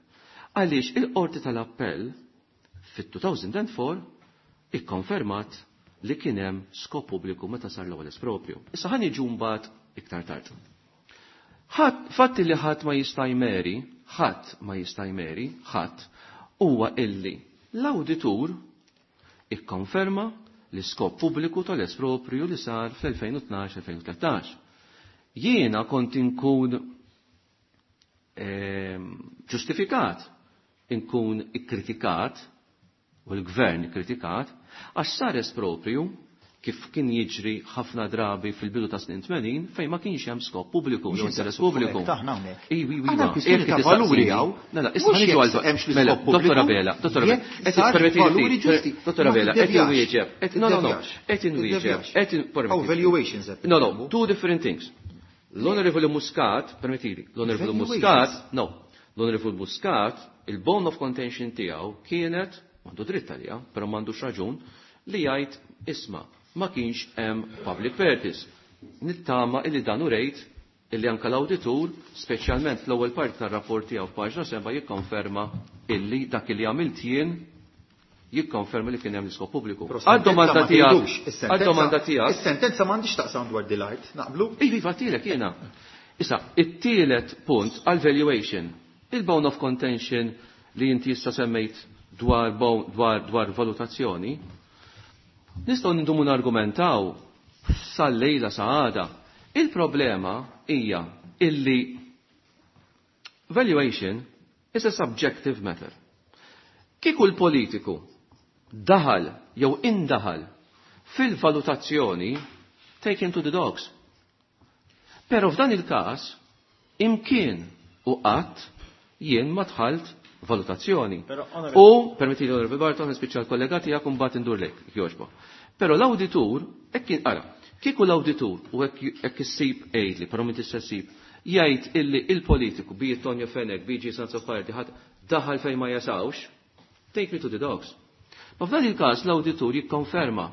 Għaliex il-qorti tal-appell fit-2004 ikkonfermat li kien hemm skop pubbliku meta sar l-ewwel espropju. Issa ħa niġu mbagħad iktar tard. Fatti li ħadd ma jista' jmeri, ħadd ma jista' jmeri, ħadd huwa illi l-awditur ikkonferma l-iskop pubbliku tal-esproprju li sar fl-2012-2013. Jiena kont inkun ġustifikat, inkun ikkritikat, u l-gvern ikkritikat, għax sar esproprju Kif kien jiġri ħafna drabi fil-bidu ta' snin 80 fejn ma kienx hemm skop pubbliku jew interess pubbliku. Iwi, iwi, iwi. Ta' valuri hawn. Mela, issa niġu għal mela, Dottor Abela, Dottor Abela, qed ippermetti Dottor Abela, qed inwieġeb, qed no, no, no, qed inwieġeb, qed valuations. No, no, two different things. L-Onorevoli Muscat, permettili, l-Onorevoli Muscat, no, l-Onorevoli Muscat, il-bone of contention tiegħu kienet, m'għandu dritt għalija, però m'għandux raġun, li jgħid isma' ma kienx hemm public purpose. Nittama illi dan urejt illi anka l-awditur, speċjalment fl-ewwel parti tar-rapport tiegħu f'paġna 7 jikkonferma illi dak li għamilt jien jikkonferma li kien hemm l-iskop pubbliku. Għad-domanda tiegħek, għad-domanda tiegħek. Is-sentenza m'għandix taqsam dwar dil-art, naqblu? Iva, tilek jiena. Issa, it-tielet punt għal valuation, il-bone of contention li inti issa semmejt dwar dwar dwar valutazzjoni, nistgħu nindumu nargumentaw sal-lejla sa għada. Il-problema hija illi valuation is a subjective matter. Kieku l-politiku daħal jew indaħal fil-valutazzjoni, take him to the dogs. Pero f'dan il-każ imkien u qatt jien ma dħalt valutazzjoni. U, permetti li Onorevoli Barton, nispiċċa l-kollega tiegħek u mbagħad indur lejk, jogħġbok. Però l-awditur, hekk kien ara, kieku l-awditur u hekk issib għidli, però m'intix se ssib, jgħid illi il-politiku bi Tonio Fenech, bi Jason Azzopardi, ħadd daħal fejn ma jasawx, take me to the dogs. Ma f'dan il-każ l-awditur jikkonferma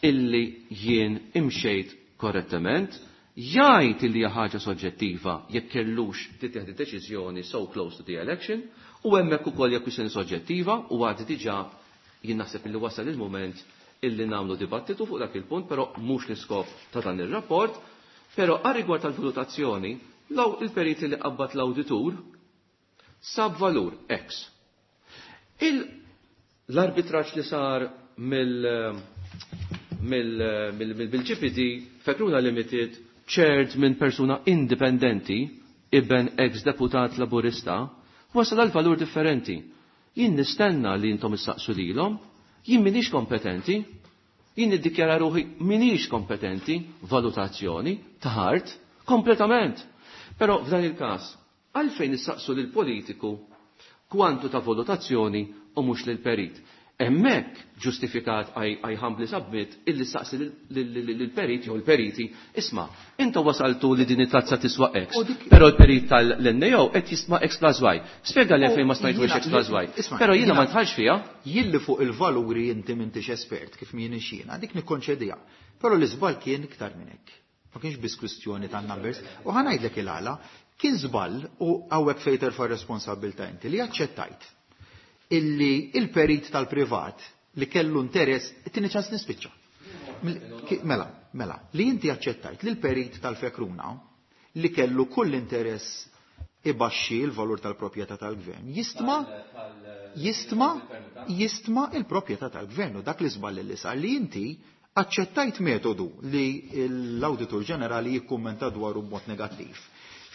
illi jien imxejt korrettament, jgħid illi hija ħaġa soġġettiva jekk kellux tittieħed deċiżjoni so close to the election, u hemmhekk ukoll hija kwistjoni soġġettiva u għad diġà jien naħseb illi wasal il-mument illi nagħmlu dibattitu fuq dak il-punt, però mhux l-iskop ta' dan ir-rapport, però għar-rigward tal-valutazzjoni, law il-periti li qabbat l-awditur sab valur X. L-arbitraġġ li sar mill-GPD Fekruna Limited chaired minn persuna indipendenti, iben ex-deputat laburista, wasal għal valur differenti. Jien nistenna li intom issaqsu lilhom, jien minix kompetenti, jien niddikjara ruħi minix kompetenti valutazzjoni ta' art kompletament. Però f'dan il-każ, għalfejn issaqsu lil politiku kwantu ta' valutazzjoni u mhux lil perit. Hemmhekk ġustifikat I humbly submit illi saqsi lill-perit jew il-periti, isma' inta wasaltu li din it-tazza tiswa X, però l-perit tal-NAO qed jisma' X plus Y. Spjega li fejn ma smajtux X plus Y. Però jiena ma nidħalx fiha. Jilli fuq il-valuri inti m'intix espert kif m'ienix jiena, dik nikkonċediha. Però l-iżball kien iktar minn hekk. Ma kienx biss kwistjoni ta' numbers. U ħa ngħidlek il-għala, kien żball u hawnhekk fejn terfa' responsabbiltà inti li aċċettajt illi il-perit tal-privat li kellu interess, tini ċans nispiċċa. Mela, mela, li inti aċċettajt li l-perit tal-Fekruna li kellu kull interess ibaxxi il-valur tal-proprjetà tal-gvern, jistma jistma jistma il-proprjetà tal-gvern u dak li żball li sar li inti aċċettajt metodu li l-Awditur Ġenerali jikkummenta dwaru b'mod negattiv.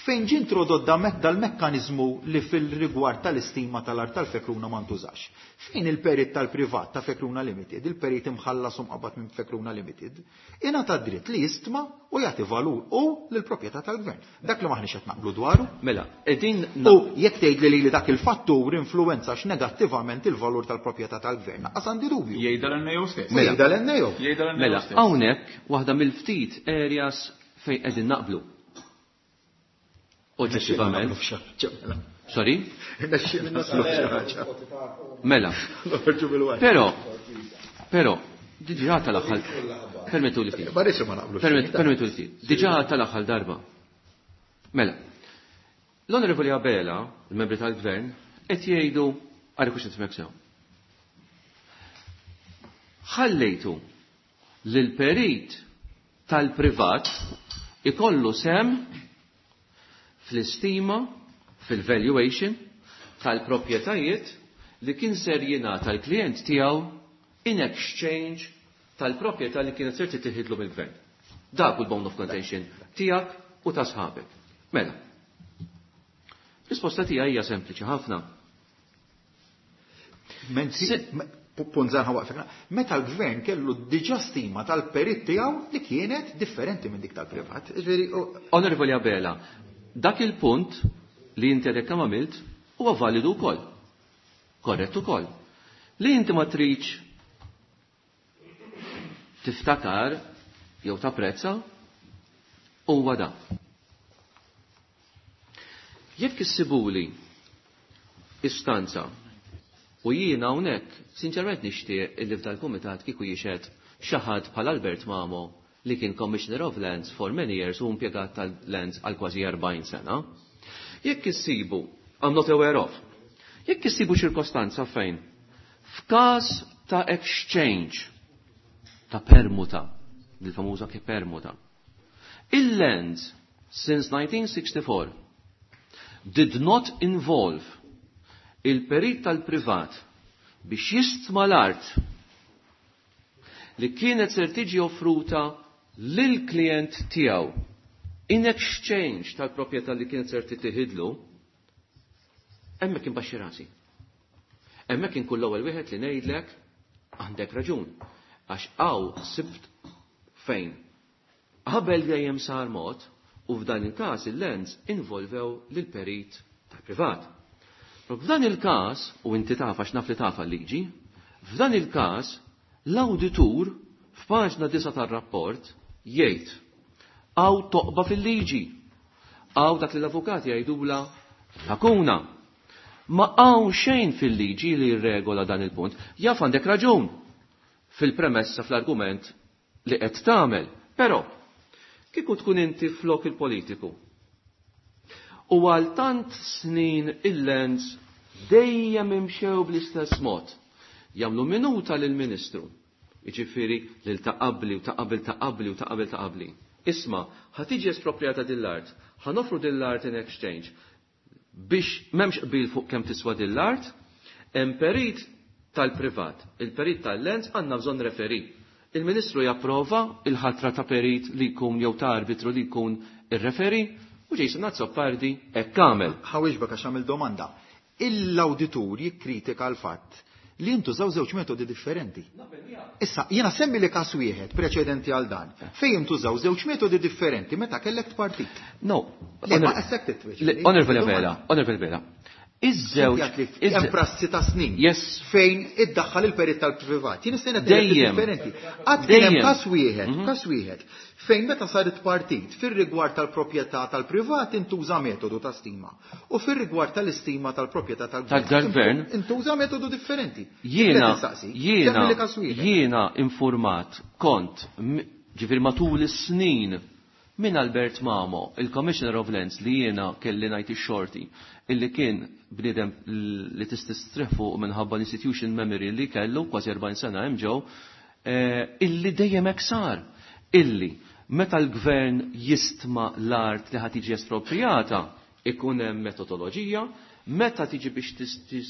Fejn ġie introdott dal-mekkaniżmu li fil-rigward tal-istima tal-art tal-Fekruna ma ntużax. Fejn il-perit tal-privat ta' Fekruna Limited, il-perit imħallas u mqabbad minn Fekruna Limited, ingħata dritt li jistma u jagħti valur u lill-proprjetà tal-gvern. Dak li maħniex qed naqblu dwaru. Mela, qegħdin U jekk tgħid li dak il-fattur influwenzax negattivament il-valur tal-proprjetà tal-gvern, lanqas għandi dubju. Jgħidha l-NAO stess. Mela. Jgħidha l-NAO. Jgħidha l-NAO Mela, stess. hawnhekk waħda mill-ftit areas fejn qegħdin naqblu. Oġġettivament. Sorry? Mela. Però, però, diġà tal-aħħar, permettu li ftit. Ma rridx ma naqblu. Permettu li ftit. Diġà tal-aħħar darba. Mela, l-Onorevoli Abela, il-membri tal-Gvern, qed jgħidu għal kux nifhmek sew. Ħallejtu lil perit tal-privat ikollu sem fl-istima, fil-valuation tal-proprjetajiet li kien ser jingħata l-klient tiegħu in exchange tal-proprjetà li kienet ser tittieħidlu mill-gvern. Dak hu l-bone of contention tiegħek u ta' sħabek. Mela. Risposta tiegħi hija sempliċi ħafna. Mentri, Punt żgħar waqfek. Meta l-gvern kellu diġà stima tal-perit tiegħu li kienet differenti minn dik tal-privat. Ġifieri, Onorevoli Abela, dak il-punt li inti għadek kemm għamilt huwa validu wkoll. Korrett ukoll. Li inti ma tridx tiftakar jew tapprezza huwa da. Jekk issibuli istanza u jiena hawnhekk sinċerament nixtieq illi f'dal-kumitat kieku jixhed xi ħadd bħal Albert Mamo li kien Commissioner of Lands for many years u impjegat tal-Lands għal kważi 40 sena. Jekk issibu, I'm not aware of, jekk issibu ċirkostanza fejn f'każ ta' exchange, ta' permuta, il-famuża ke permuta, il-lands since 1964 did not involve il-perit tal-privat biex jistma l-art li kienet ser tiġi offruta lil-klient tiegħu in exchange tal-proprjetà li kienet ser titieħidlu, hemmhekk inbaxxi rasi. Hemmhekk inkun l-ewwel wieħed li ngħidlek għandek raġun. Għax hawn sibt fejn. Qabel dejjem sar mod u f'dan il-każ il-lands involvew lil-perit tal-privat. Però f'dan il-każ, u inti taf għax naf li taf liġi, f'dan il-każ l-awditur f'paġna 9 tar-rapport jgħid hawn toqba fil-liġi, hawn dak li l-avukati jgħidula lakuna. Ma hawn xejn fil-liġi li jirregola dan il-punt. Jaf għandek raġun fil-premessa fl-argument li qed tagħmel. Però kieku tkun inti flok il-politiku u għal tant snin il-lands dejjem imxew bl-istess mod. Jagħmlu minuta lill-Ministru, jiġifieri lil ta' qabli u ta' qabel ta' qabli u ta' qabel ta' qabli. Isma', ħa tiġi esproprjata din l-art, ħa noffru din l-art in exchange biex m'hemmx qbil fuq kemm tiswa din l-art, hemm perit tal-privat, il-perit tal-lands għandna bżonn referee. Il-Ministru japprova il-ħatra ta' perit li jkun jew ta' arbitru li jkun ir-referee u Jason Azzopardi hekk għamel. Ħa nwieġbek għax għamil domanda. Il-awditur jikkritika l-fatt li jintużaw żewġ metodi differenti. Issa, jiena semmi li każ wieħed preċedenti għal dan, fejn jintużaw żewġ metodi differenti meta kellek partit. No. Le, ma issek titweġ. Onorevoli Abela, Onorevoli Abela. Iż-żewġ. Hemm prassi ta' snin. Yes. Fejn iddaħħal il-perit tal-privat. Jien nistenna Dejjem. differenti. Qatt kien hemm Dejjem. każ wieħed, każ wieħed fejn meta saret partit fir-rigward tal-proprjetà tal-privat intuża metodu ta' stima u fir-rigward tal-istima tal-proprjetà tal-gvern. Tal-gvern. Intuża metodu differenti. Jiena, Nistaqsi, jiena, semmi li każ wieħed. jiena informat kont, ġifieri matul is-snin minn Albert Mamo, il-Commissioner of Lands li jiena kelli ngħid ix-xorti, illi kien bniedem li tististrih fuq minħabba l-institution memory li kellu kważi 40 sena hemm ġew, illi dejjem hekk sar, illi meta l-gvern jistma l-art li ħa tiġi espropriata, ikun hemm metodoloġija, meta tiġi biex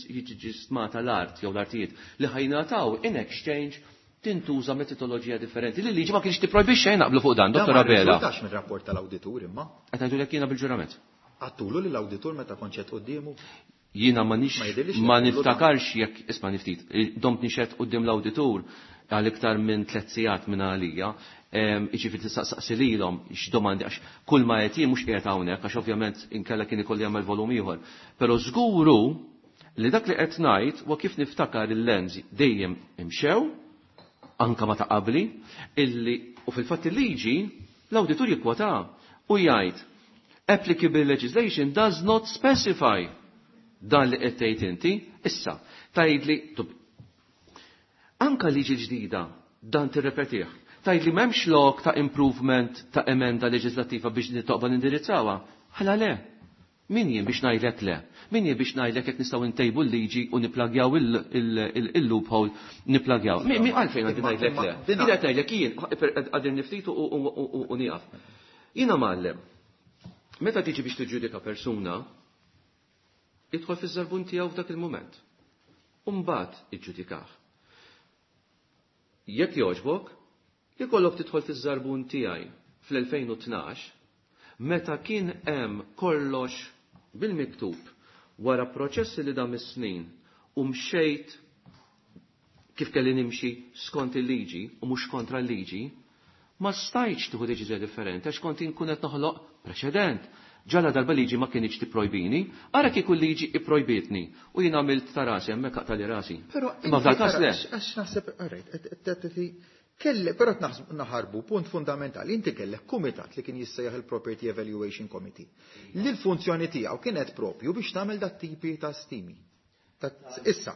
jiġi stmata l-art jew l-artijiet li ħa jingħataw in exchange tintuża metodoloġija differenti. Li liġi ma kienx tipprojbixxi xejn naqblu fuq dan, Dan Dottor ma Abela. rriżultax mir-rapport tal-awditur imma. Qed ngħidulek jiena bil-ġurament. Għedtulu lill-awditur meta kont xhedt quddiemu. Jiena ma nix Ma jidhirlix li ma għedtulu dan. niftakarx jekk isma' niftit, domt nixhed quddiem l-awditur għal iktar minn 3 sigħat minn għalija, jiġifieri tistaqsaqsi lilhom x'domandi għax kull ma qed jien mhux qiegħed hawnhekk għax ovvjament inkella kien ikolli jagħmel volum ieħor. Però żguru li dak li qed ngħid huwa kif niftakar il-lands dejjem imxew, anka ma ta' qabli, illi u fil-fatt il-liġi l-awditur jikkwota u jgħid applicable legislation does not specify dan li qed tgħid inti, issa tgħidli anka liġi ġdida dan tirrepetih. Tgħidli m'hemmx lok ta' improvement ta' emenda leġislattiva biex nitoqba nindirizzawha. Ħala le. Min jien biex ngħidlek le? Min jien biex ngħidlek jekk nistgħu ntejbu l-liġi u niplagjaw il-loophole niplagjaw. Mi għalfejn għandi ngħidlek le? Jien qed ngħidlek jien għadir niftit u nieqaf. Jiena mgħallem. Meta tiġi biex tiġġudika persuna, idħol fiż-żarbun tiegħu f'dak il-mument. U mbagħad iġġudikah. Jekk jogħġbok, ikollok tidħol fiż-żarbun tiegħi fl-2012, meta kien hemm kollox bil-miktub wara proċessi li dam is-snin u mxejt kif kelli nimxi skont il-liġi u mhux kontra l-liġi, ma stajtx tieħu deċiżjoni differenti għax kont inkun qed noħloq preċedent. Ġala darba liġi ma kienx tipprojbini, ara kieku l-liġi ipprojbitni u jien għamilt ta' rasi hemmhekk aqtali rasi. Però Imma f'dal każ le. Għax naħseb, alright, kelle, però naħarbu punt fundamentali, inti kellek kumitat li kien jissejjaħ il-Property Evaluation Committee, li l-funzjoni tiegħu kienet propju biex tagħmel dat tipi ta' stimi. Issa.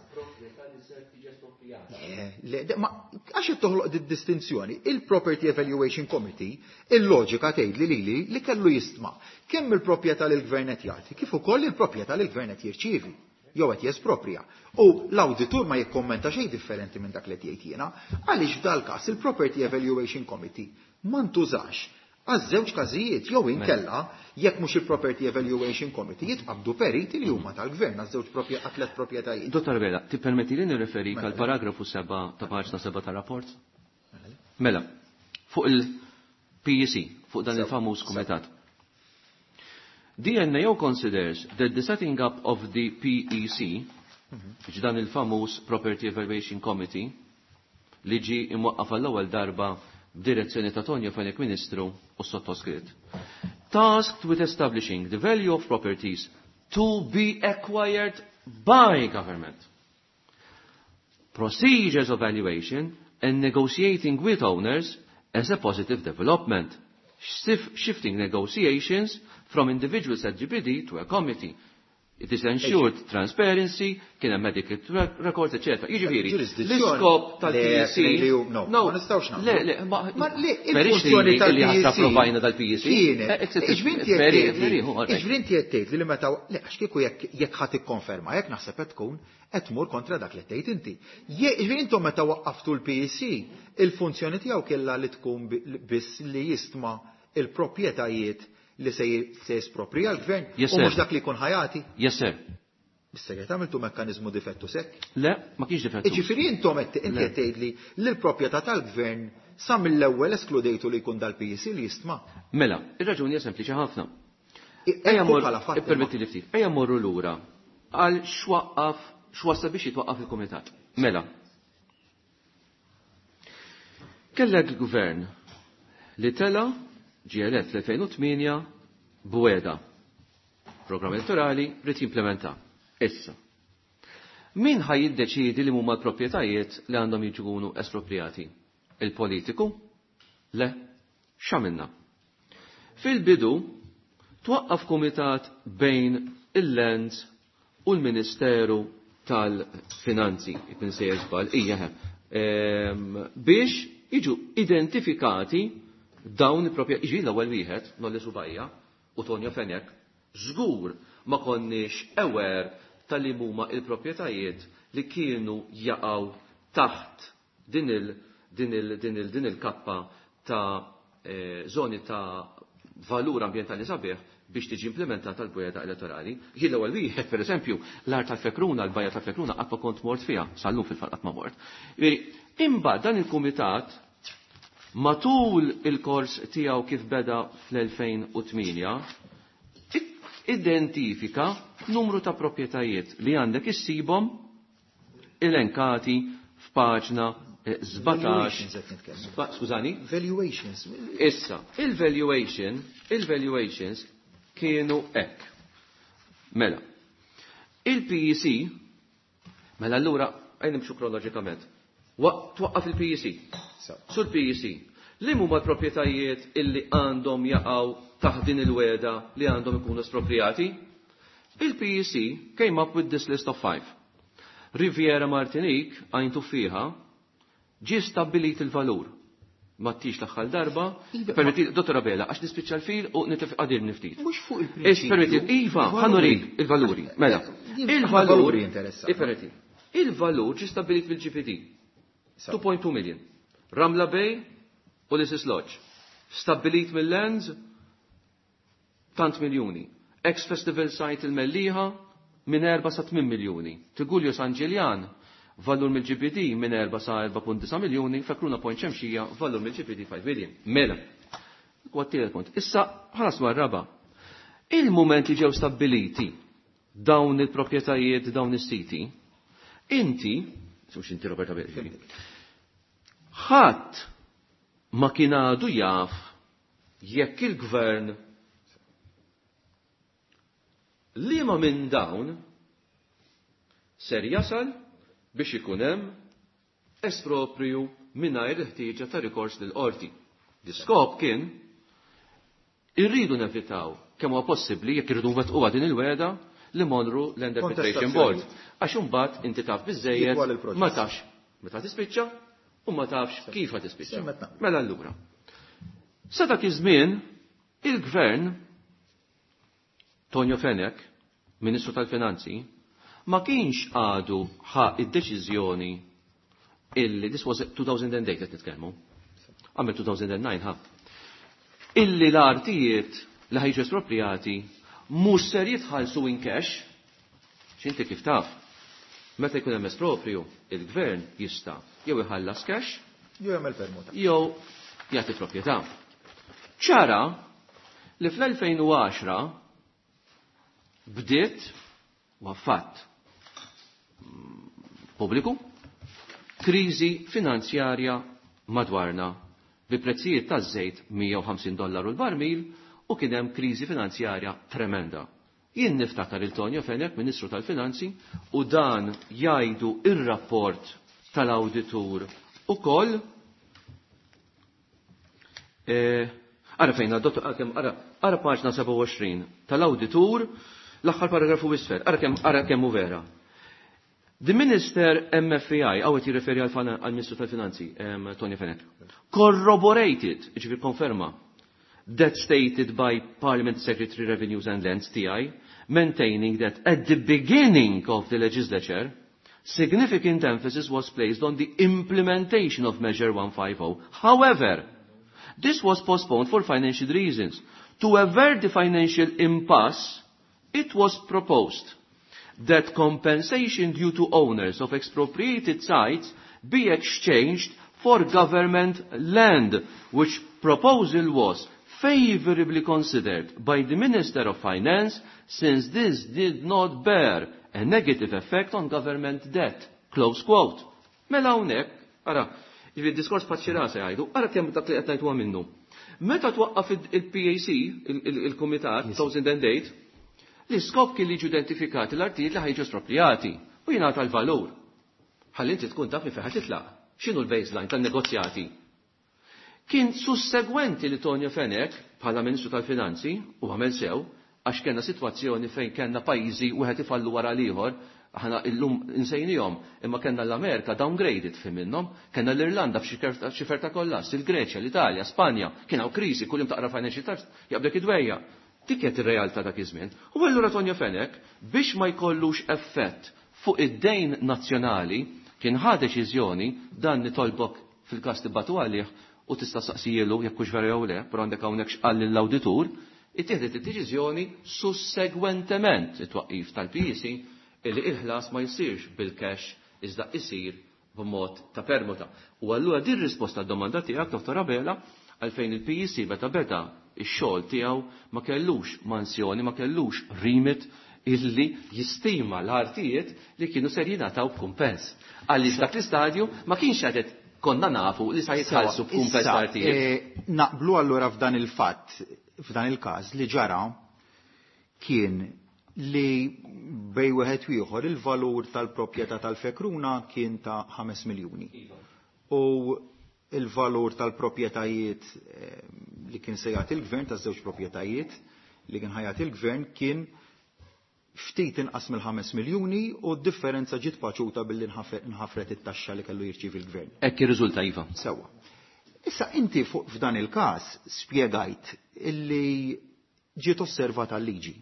Le, ma għax qed toħloq di distinzjoni, il-Property Evaluation Committee, il-loġika tgħid li lili li kellu jistma' kemm il-proprjetà li l-gvern qed jagħti, kif ukoll il-proprjetà li l-gvern qed jirċievi jew qed jesproprja. U l-awditur ma jikkommenta xejn differenti minn dak li qed jgħid jiena, għaliex f'dal-każ il-Property Evaluation Committee ma ntużax għaż-żewġ każijiet jew inkella jekk mhux il-Property Evaluation Committee jitqabdu periti li huma tal-gvern għaż-żewġ għat-tliet proprjetajiet. Dottor Vela, tippermetti li nirreferik għal paragrafu 7 ta' paġna 7 tar-rapport? Mela, fuq il-PEC, fuq dan il-famuż kumitat. The NAO considers that the setting up of the PEC, dan il-famuż Property Evaluation Committee, li ġi imwaqqaf għall-ewwel darba b'direzzjoni ta' Tonio Fenech Ministru u sottoskritt, tasked with establishing the value of properties to be acquired by government, procedures of valuation and negotiating with owners as a positive development, shifting negotiations from individuals at GPD to a committee. It is ensured transparency, kien hemm medical records, etc. Jiġifieri, l-iskop tal-PEC. No, ma nistgħux nagħmlu. Le, le, ma le, il-funzjoni tal-PEC. Approvajna dal-PEC. Kienet. Iġvinti qed tgħid li meta le għax kieku jekk ħadd ikkonferma, jekk naħseb qed tkun qed tmur kontra dak li tgħid inti. Jiġifieri intom meta waqqaftu l-PEC, il-funzjoni tiegħu kellha li tkun biss li jistma il-proprjetajiet li se jesproprija l-gvern u mhux dak li jkun ħajati. Yes, sir. Bis-segret għamiltu mekkaniżmu difettu sekk? Le, ma kienx difettu. Jiġifieri intom qed inti qed tgħidli li l-proprjetà tal-gvern sa mill-ewwel eskludejtu li jkun dal-PEC li jistma. Mela, ir-raġuni hija sempliċi ħafna. Ejja mor, ippermetti li ftit. Ejja morru lura għal x'waqqaf x'wassa biex jitwaqqaf il-kumitat. Mela. Kellek il-gvern li tela ġie elett fl-2008 b'wegħda. Programm elettorali rrid jimplementa. Issa. Min ħaj jiddeċiedi li huma l-proprjetajiet li għandhom jiġu espropriati? Il-politiku? Le. X'għamilna? Fil-bidu twaqqaf kumitat bejn il-Lands u l-Ministeru tal-Finanzi, jkun se żball, ija biex jiġu identifikati dawn il-proprjetà, jiġi l-ewwel wieħed, Nolli Subajja u Tonio Fenech, żgur ma konniex aware tal-li huma il-proprjetajiet li kienu jaqgħu taħt din il-kappa ta' zoni ta' valur ambjentali sabiħ biex tiġi implementata l-bujeda elettorali. Jien l-ewwel wieħed, pereżempju, l-art tal-Fekruna, l-bajja tal-Fekruna qatt ma kont mort fiha, sal-lum fil-fatt qatt ma mort. Imbagħad dan il-kumitat matul il-kors tiegħu kif beda fl-2008 identifika numru ta' proprjetajiet li għandek issibhom elenkati f'paġna 17. Skużani? Valuations. Issa, il-valuations kienu hekk. Mela, il-PEC, mela allura, għajn nimxu kronoloġikament, twaqqaf il-PEC. Sur PEC, li huma l-proprjetajiet illi għandhom jaqgħu taħt din il-weda li għandhom ikunu espropriati? Il-PEC came up with this list of 5. Riviera Martinique, Għajn Tuffieħa, ġie stabbilit il-valur. Ma tix l-aħħar darba, permetti, Dottor Abela, għax nispiċċa l-fil u nitlef qadir niftit. Mhux fuq il-prinċipju. Permetti, iva, ħanurik il-valuri. Mela, il-valur, interessati. Il-valur ġie stabbilit bil-GPD. 2.2 million. Ramla Bay u l-Isis Lodge. Stabbilit mill-Lands, tant miljuni. Ex-Festival Site il-Mellieħa, minn 4 sa 8 miljuni. Tigullio San Ġiljan, valur mill-GPD minn 4 sa 4.9 miljuni, Fekruna Point Xemxija, valur mill-GPD 5 million. Mela, u għat-tielet punt. Issa, ħanas raba. Il-moment li ġew stabbiliti dawn il-proprjetajiet, dawn is-siti, inti Mhux inti Roberta Abela. Ħadd ma kien għadu jaf jekk il-gvern liema minn dawn ser jasal biex ikun hemm espropriju mingħajr il-ħtieġa ta' rikors lill-qorti. L-iskop kien irridu nevitaw kemm huwa possibbli jekk irridu nwettquha din il-wegħda li morru Land Arbitration Board. Għax imbagħad inti taf biżejjed Jitwal il-proċess. Ma tafx meta tispiċċa u ma tafx kif ħa tispiċċa. Semmet naqbel. Mela allura. Sa dak iż-żmien il-gvern Tonio Fenech, Ministru tal-Finanzi, ma kienx għadu ħa id-deċiżjoni illi, this was 2008 qed nitkellmu, għamel 2009 ħa, illi l-artijiet li ħajġu espropriati mhux ser jitħallsu in cash, x'inti kif taf, meta jkun hemm espropriju, il-gvern jista' jew iħallas cash, Jew jagħmel permuta. Jew jagħti proprjetà. Ċara li fl-2010 bdiet u fatt pubbliku kriżi finanzjarja madwarna bi prezzijiet taż-żejt $150 l-barmil u kien hemm kriżi finanzjarja tremenda. Jien niftakar il-Tonio Fenech, Ministru tal-Finanzi, u dan jgħidu ir-rapport tal-awditur ukoll. Ara fejn għaddottu, ara kemm, ara, ara paġna 27 tal-awditur, l-aħħar paragrafu isfel, ara kemm, ara kemm hu vera. The Minister MFI, għawet jirreferi għal-Ministru tal-Finanzi, Tony Fenech, corroborated, ġifieri konferma, that stated by Parliament Secretary Revenues and Lands, TI, maintaining that at the beginning of the legislature, significant emphasis was placed on the implementation of Measure 150. However, this was postponed for financial reasons. To avert the financial impasse, it was proposed that compensation due to owners of expropriated sites be exchanged for government land, which proposal was favorably considered by the Minister of Finance since this did not bear a negative effect on government debt. Close quote. Mela hawnhekk, ara, jiġifieri diskors paċċira se jgħidu, ara kemm dak li qed ngħidu minnu. Meta twaqqaf il-PAC, il-Kumitat, 2008, l-iskop kien li jiġu identifikati l-artijiet li ħajġu espropriati u jingħata l-valur. Ħalli inti tkun taf minn fejn ħa titlaq. X'inhu l-baseline tan-negozjati? Kien sussegwenti li Tonio Fenech, bħala Ministru tal-Finanzi, u għamel sew, għax kellna sitwazzjoni fejn kellna pajjiżi wieħed ifallu wara l-ieħor, aħna illum insejnihom, imma kellna l-Amerika downgraded fi minnhom, kellna l-Irlanda f'xi ferta kollass, il-Greċja, l-Italja, Spanja, kien hawn kriżi, kuljum taqra Financial Times, jaqbdek id-dwejja. Dik kienet ir-realtà dak iż-żmien. U allura Tonio Fenech, biex ma jkollux effett fuq id-dejn nazzjonali, kien ħa deċiżjoni, dan nitolbok fil-każ tibatu għalih u tista' saqsijielu jekk hux vera jew le, però għandek hawnhekk x'qal lill-awditur, ittieħdet id-deċiżjoni sussegwentement it-twaqqif tal-PEC illi il-ħlas ma jsirx bil-cash iżda isir b'mod ta' permuta. U allura din risposta għad-domanda tiegħek, Dottor Abela, għalfejn il-PEC meta beda ix-xogħol tiegħu ma kellux mansjoni, ma kellux remit illi jistima l-artijiet li kienu ser jingħataw b'kumpens. Għaliex dak l-istadju ma kienx għadet konna nafu li sa jitħallsu b'kumpens Issa, l-artijiet. Naqblu allura f'dan il-fatt, f'dan il-każ li ġara kien li bej wieħed u ieħor il-valur tal-proprjetà tal-Fekruna kien ta' 5 miljuni. U il-valur tal-proprjetajiet li kien se jagħti il-gvern, taż-żewġ proprjetajiet li kien ħajat il-gvern kien ftit inqas mill-5 miljuni u d-differenza ġiet paċuta billi nħafret it-taxxa li kellu jirċievi l-gvern. Hekk irriżulta, iva. Sewwa. Issa inti fuq f'dan il-każ spjegajt illi ġiet osservata l-liġi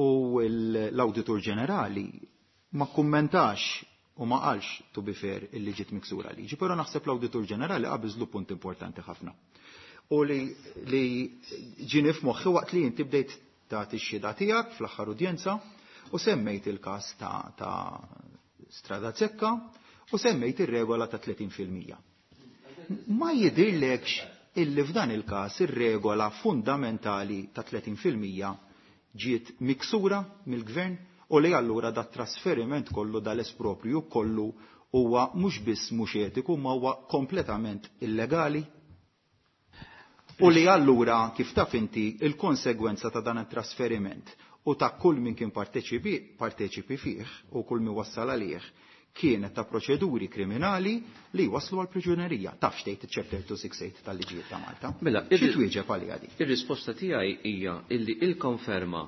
u l-Awditur Ġenerali ma kummentax u ma qalx to be fair illi ġiet miksura liġi, però naħseb l-Awditur Ġenerali qabiżlu punt importanti ħafna. U li ġieni f'moħħi waqt li inti bdejt tagħti x-xhieda tiegħek fl-aħħar udjenza u semmejt il-każ ta' Strada Zekka u semmejt ir-regola ta' 30%. Ma jidhirlekx illi f'dan il-każ ir-regola fundamentali ta' 30% ġiet miksura mill-gvern u li allura da trasferiment kollu dal-espropriju kollu huwa mhux biss mhux etiku ma huwa kompletament illegali? U li allura kif taf inti il-konsegwenza ta' dan it-trasferiment u ta' kull min kien parteċipi fih u kull min wassal għalih kienet ta' proċeduri kriminali li waslu għal priġunerija. Taf x'tgħid iċ-chapter 268 tal-liġijiet ta' Malta. Mela, xi twieġeb għaliha di? Ir-risposta tiegħi hija illi il-konferma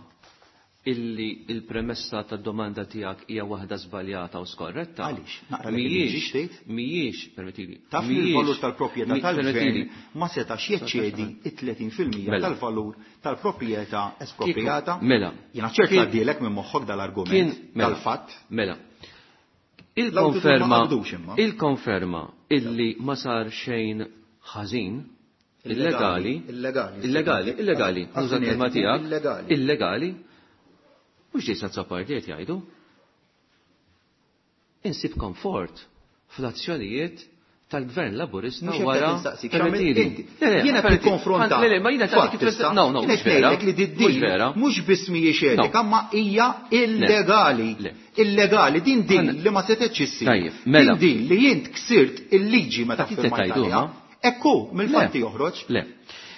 illi il-premessa tad-domanda tiegħek hija waħda żbaljata u skorretta. Għaliex? Naqra li mhijiex tgħid? Mhijiex, permettili. Taf li l-valur tal-proprjetà tal-gvern ma setax jeċċedi it-30% Mela. tal-valur tal-proprjetà esproprijata. Mela. Jiena ċert għaddielek minn moħħok dal-argument mela. tal-fatt. Mela. L-awditur ma Il-konferma qabdux imma. il-konferma illi ma sar xejn ħażin illegali Illegali. illegali illegali nuża l-kelma tiegħek Illegali. illegali mhux Jason Azzopardi qed jgħidu. Insib komfort fl-azzjonijiet tal-Gvern Laburista Mhux hekk wara qed nistaqsik, x'għamilt permettili. inti? Le, le, Jiena qed permettili. nikkonfronta. Le, le, ma jiena Fatt tagħtik kif issa. No, no, Jiena mhux qed vera. ngħidlek li Mhux din vera. mhux biss mhijiex etika, No. ma hija illegali. Le. Illegali, din din Għanna- li ma setgħetx issir. Tajjeb, mela. Din din li jint ksirt il-liġi meta Inti firmajt tgħidu, għaliha. ma? Ekku, mill-fatti Le. joħroġ. Le.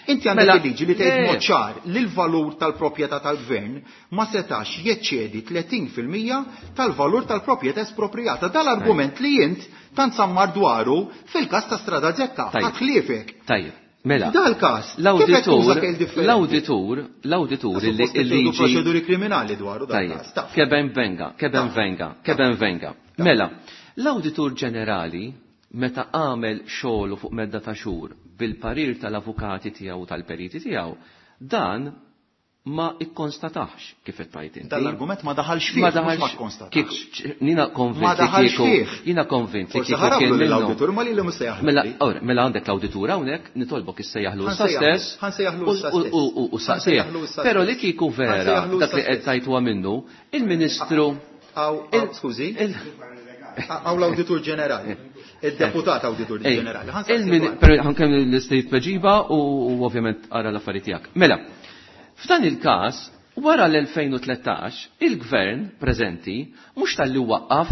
Inti għandek Mela, il-liġi li tgħid le. mod ċar li l-valur tal-proprjetà tal-gvern ma setax jeċċedi 30% tal-valur tal-proprjetà esproprijata. Dal-argument li jint tant sammar dwaru fil-każ ta' Strada Zekka, Tajjeb. ħadd ħliefek. Tajjeb, mela. Dal-każ, kif qed tuża kejl differenti? L-awditur, l-awditur illi Suppost qed illi tieħdu proċeduri kriminali dwaru dal-każ. Tajjeb, Taf. keben venga, keben venga, keben venga. Mela, l-awditur ġenerali meta għamel xogħlu fuq medda ta' xhur bil-parir tal-avukati tiegħu u tal-periti tiegħu, dan ma ikkonstatax kif qed tgħid inti. Dal-argument ma daħalx fih, Ma mhux ma daħalx kkonstatax. kif nina Ma konvint li daħalx kieku fih. jina konvint li Forsi kieku kien ħarablu minnu. l-awditur ma li li mhux se jaħlab Mela, li. ora, mela għandek l-awditur hawnhekk, nitolbok issejjaħlu issa Ħansejjaħlu, stess. ħansejjaħlu issa stess. U saqsejjaħ. Ħansejjaħlu issa Però stess. li kieku vera Ħansejjaħlu dak li issa qed stess. tajtuha minnu, il-Ministru Aw, aw, skużi, aw l-awditur ġenerali, il-deputat awditur Ej, ġenerali. Ħansaqsi dwar. Pero ħankem l-istate tweġiba u ovvjament ara l-affarijiet tiegħek. Mela, f'dan il-każ, wara l-2013, il-gvern preżenti mhux talli waqqaf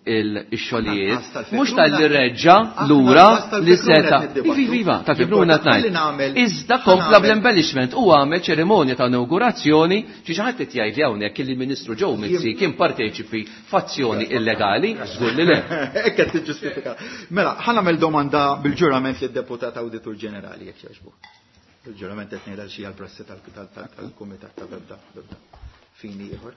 il-xogħlijiet, Aħna tal-Fekruna- mhux talli reġġa Aħna lura tal-Fekruna li seta. qed niddibattu. Iva, iva, tal-Fekruna Ħalli tnajn. nagħmel- Iżda ħa kompla nagħmel- bl-embellishment u għamel ċerimonja ta' inaugurazzjoni xi xi ħadd qed jgħid li hawnhekk li l-Ministru Joe Mizzi kien parteċipi f'azzjoni illegali, żgur li le. Hekk qed tiġġustifika. Mela, ħa nagħmel domanda bil-ġurament lid-deputat awditur ġenerali jekk jogħġbu. Il-ġurament qed ngħidha xi għall-prassi tal-kumitat ta' bebda bebda fini ieħor.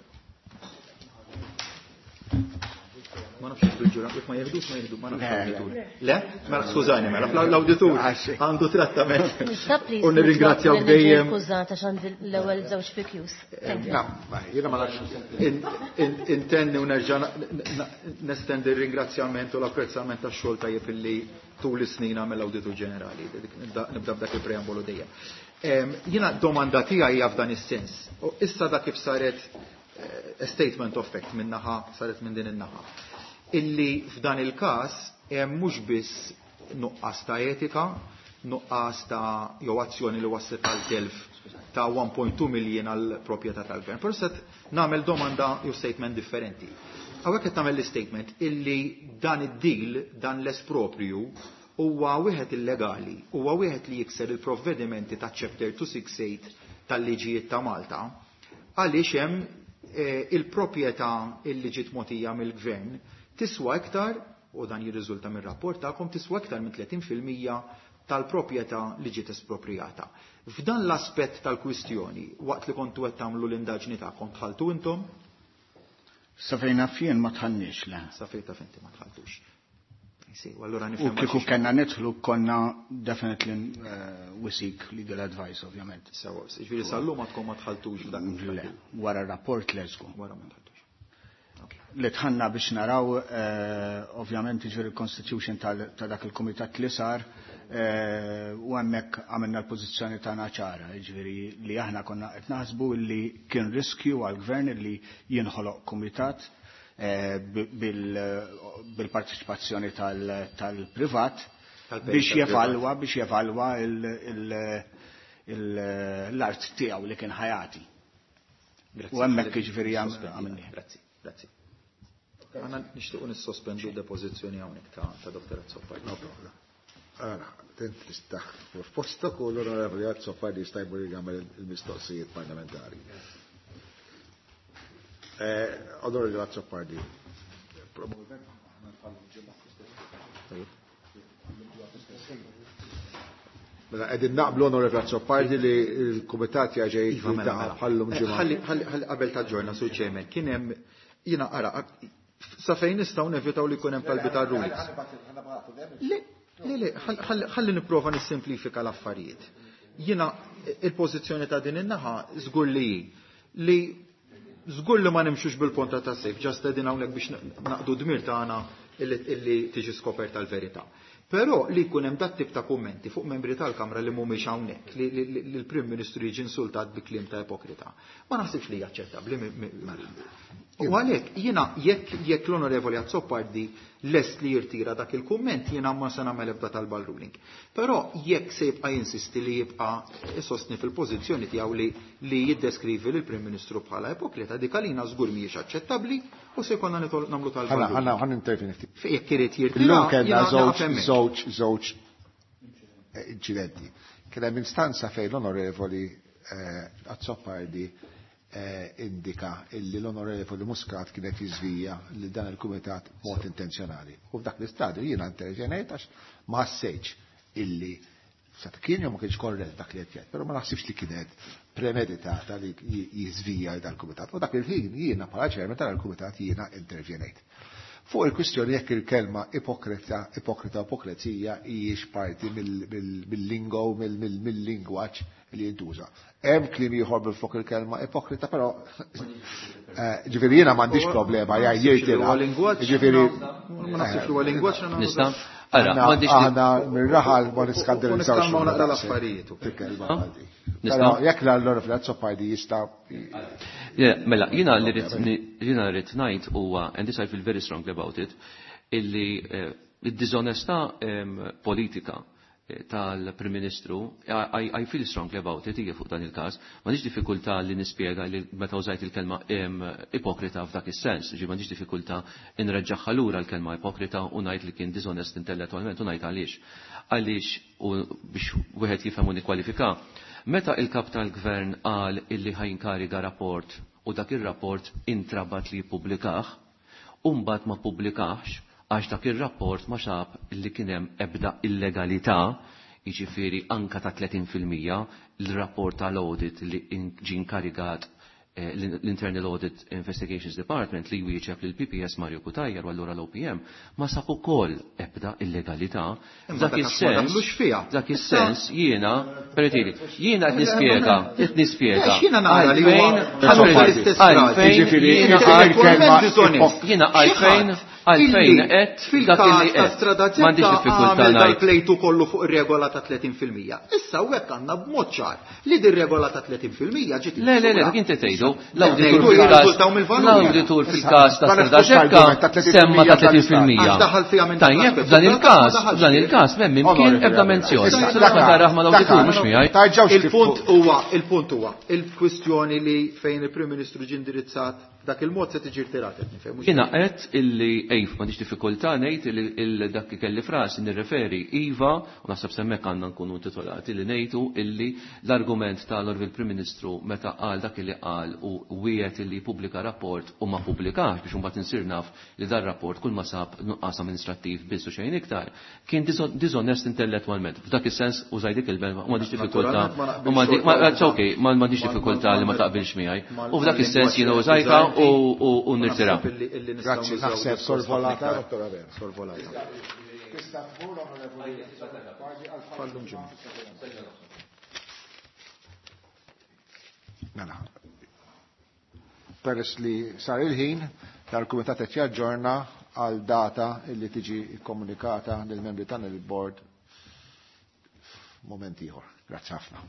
Ma nafx jekk bil-ġurament jekk ma jeħdux ma jeħdu, ma nafx l-awditur. Le? Mela skużani, mela l-awditur għandu trattament. Nista' please U nirringrazzjaw nitlob li niġi dejjem. Skużata x'għandi l-ewwel żewġ PQs. Thank you. Na, jiena ma nafx. Intenni u nerġa' nestendi r-ringrazzjament u l-apprezzament tax-xogħol tajjeb illi tul is-snin għamel l-Awditur Ġenerali. Nibda b'dak il-preambolu dejjem. Jiena domanda tiegħi hija f'dan is-sens. U issa da kif saret a statement of fact minn naħa saret minn din in-naħa. Illi f'dan il-każ hemm mhux biss nuqqas ta' etika, nuqqas ta' jew azzjoni li waslet għal telf ta' 1.2 miljon għal proprjetà tal-gvern. Però set nagħmel domanda jew statement differenti. Hawnhekk qed nagħmel l-statement illi dan id-deal, dan l-espropriju huwa wieħed illegali, huwa wieħed li jikser il-provvedimenti ta' chapter 268 tal-liġijiet ta' Malta, għaliex hemm il-proprjetà illi ġiet mogħtija mill-gvern tiswa iktar, u dan jirriżulta mir-rapport tagħkom, tiswa iktar minn 30% tal-proprjetà li ġiet esproprijata. F'dan l-aspett tal-kwistjoni, waqt li kontu qed tagħmlu l-indaġni tagħkom dħaltu intom? Sa fejn naf jien ma dħalniex le. Sa fejn taf inti ma dħaltux. Si, u allura U nifhem kieku għaliex. kellna nidħlu konna definitely we seek legal advice ovvjament. Sewa, jiġifieri sal-lum ma tkun ma dħaltux f'dak Le, wara r-rapport le żgur. Wara ma dħaltux. Li dħalna biex naraw, ovvjament jiġifieri il-constitution ta' dak il-kumitat li sar, u hemmhekk għamilna l-pożizzjoni tagħna ċara, jiġifieri li aħna konna qed naħsbu li kien riskju għall-gvern li jinħoloq kumitat bil-parteċipazzjoni tal-privat Tal-perit biex tal-privat. jevalwa, biex jevalwa l-art tiegħu li kien ħajati. Grazzi. U hemmhekk jiġifieri Sospendi. għamilni. Grazzi, grazzi. Għanna nixtiequ nissospendu d-depożizzjoni hawnhekk ta' Dr. Azzopardi. No problem. Ara, int tista' f'postok u l-Onorevoli Azzopardi jista' jmur jagħmel il-mistoqsijiet parlamentari. Onorevoli Azzopardi, probabbilment aħna nħallu ġimgħa fl-istess. Mela qegħdin naqblu Onorevoli Azzopardi li l-Kumitat jaġej Iva, mela, mela. bħallum ġimgħa. Ħalli qabel ta' ġorna sur chairman, kien hemm jiena ara sa fejn nistgħu nevitaw li jkun hemm talbi ta' rulings. Le, le, le, ħalli nipprova nissimplifika l-affarijiet. Jiena il-pożizzjoni ta' din in-naħa żgur li hi li żgur li ma nimxux bil-ponta ta' sejf, ġast qegħdin hawnhekk biex naqdu dmir tagħna illi tiġi skoperta l-verità. Però li jkun hemm dat tip ta' kummenti fuq membri tal-Kamra li mhumiex hawnhekk, li l-Prim Ministru jiġi insultat bi kliem ta' ipokrita. Ma naħsibx li hija aċċettabbli. U għalhekk jiena jekk l-Onorevoli Azzopardi lest li jirtira dak il-kumment jiena ma se nagħmel ebda talba ruling. Però jekk se jibqa' jinsisti li jibqa' isostni fil-pożizzjoni tiegħu li jiddeskrivi lill-Prim Ministru bħala ipokrita, dik għalina żgur mhijiex aċċettabbli u se jkollna nagħmlu talba ruling. Ħa nintervjeni ftit. Jekk irid jirtira, Illum kellna jiena naqaf hemmhekk. żewġ inċidenti. Kien hemm instanza fejn l-Onorevoli Azzopardi indika illi l-Onorevoli Muscat kienet jiżvija li dan il-Kumitat b'mod intenzjonali. U f'dak l-istadju jiena intervjenejt għax ma ħassejtx illi sa kien jew ma kienx korrett dak li qed jgħid, però ma naħsibx li kienet premeditata li jiżvija dal-Kumitat. U dak il-ħin jiena bħala chairman tal-Kumitat jiena intervjenejt. Fuq il-kwistjoni jekk il-kelma ipokrita, ipokrita, ipokrezija hijiex parti mill-lingo, mill-lingwaġġ li jintuża. Hemm kliem ieħor bil-fuq il-kelma ipokrita, però ġifieri jiena m'għandix problema Ma jgħid naħsibx li jirtira. huwa lingwaġġ, Ġifieri, ma naħsibx li huwa lingwaġġ, na Nista'? Ara, m'għandix Aħna mir-raħal ma niskandalizzawx. Nitkellmu naqra l-affarijiet. Il-kelma Ha? Malti. Nista'? Però jekk l-Onorevoli Azzopardi jista' Le, mela, jiena li rrid jiena rrid ngħid huwa, and this I feel very strongly about it, illi id-diżonestà politika tal-Prim Ministru, I feel strongly about it, hija fuq dan il-każ, m'għandix diffikultà li nispjega li meta użajt il-kelma ipokrita f'dak is-sens, ġi m'għandix diffikultà inreġġaħħa lura l-kelma ipokrita u ngħid li kien diżonest intellettwalment u ngħid għaliex. Għaliex, u biex wieħed jifhem u nikkwalifika, meta il-kap tal-gvern qal illi ħajinkariga rapport u dak ir-rapport intrabat li jippubblikah, u mbagħad ma ppubblikahx għax dak ir-rapport ma sab li kien hemm ebda illegalità, jiġifieri anka ta' 30% l-rapport tal-audit li ġie inkarigat l-Internal Audit Investigations Department li jwieġeb lil PPS Mario Cutajar u allura l-OPM ma sab ukoll ebda illegalità. Imma Dak dak għax ma is-sens, daħlux fiha. dak is-sens jiena, permettili, jiena qed nispjega, qed nispjega. Għax jiena nara li huwa Għalfejn, ħadd l-istess frażi. għalfejn, Jiġifieri, jiena il-kelma għalfejn, dishonest. jiena għalfejn, għalfejn Illi qed fil-każ dak illi ta' qed. Strada M'għandix Zetta diffikultà għamel ngħid. dal-plejtu kollu fuq ir-regola ta' 30%. Issa u hekk għandna b'mod ċar li din regola ta' 30% ġiet Le, le, le, miksura. dak inti tgħidu, Le, l-awditur ngħidu fil-każ jirriżultaw mill-valur. l-awditur fil-każ ta' Ma Strada nifux Ġekka l-argument ta' 30% semma ta' 30%. Għax daħal fiha minn Tajjeb, dak f'dan l-aspett. il-każ, Ma daħalx f'dan fiha. il-każ m'hemm imkien Onorevoli, ebda menzjoni. Issa, Issa ma taraħ mal-awditur mhux miegħi. Tarġawx Il-punt huwa, il-punt huwa, il-kwistjoni li fejn il-Prim Ministru ġie indirizzat dak il-mod se tiġi rtirat qed nifhem. mhux Jiena qed illi ejf m'għandix diffikultà ngħid illi dak li kelli frasi nirreferi iva u naħseb semmek għandna nkunu intitolati li ngħidu illi l-argument tal-Orvil Prim Ministru meta qal dak li qal u wiegħed illi jippubblika rapport u ma pubblikax biex imbagħad insir naf li dar rapport kull ma sab nuqqas amministrattiv biss u xejn iktar kien diżonest intellettwalment. F'dak is-sens użaj dik il-belma u m'għandix diffikultà Naturalment ma naqbilx u m'għandi- ma- xorta it's okay, m'għandix diffikultà li ma taqbilx miegħi. U f'dak is-sens jiena użajta u nirtira. Naħseb illi nistgħu Grazzi, nużaw naħseb diskors sorvolata, ħafna iktar. Dottor Abela. Sorvolata. Fallum ġimgħa. Mela. Peress li sar il-ħin, dal-Kumitat qed jaġġorna għal data illi tiġi kkomunikata lill-membri tagħna il-bord f'mument ieħor. Grazzi ħafna.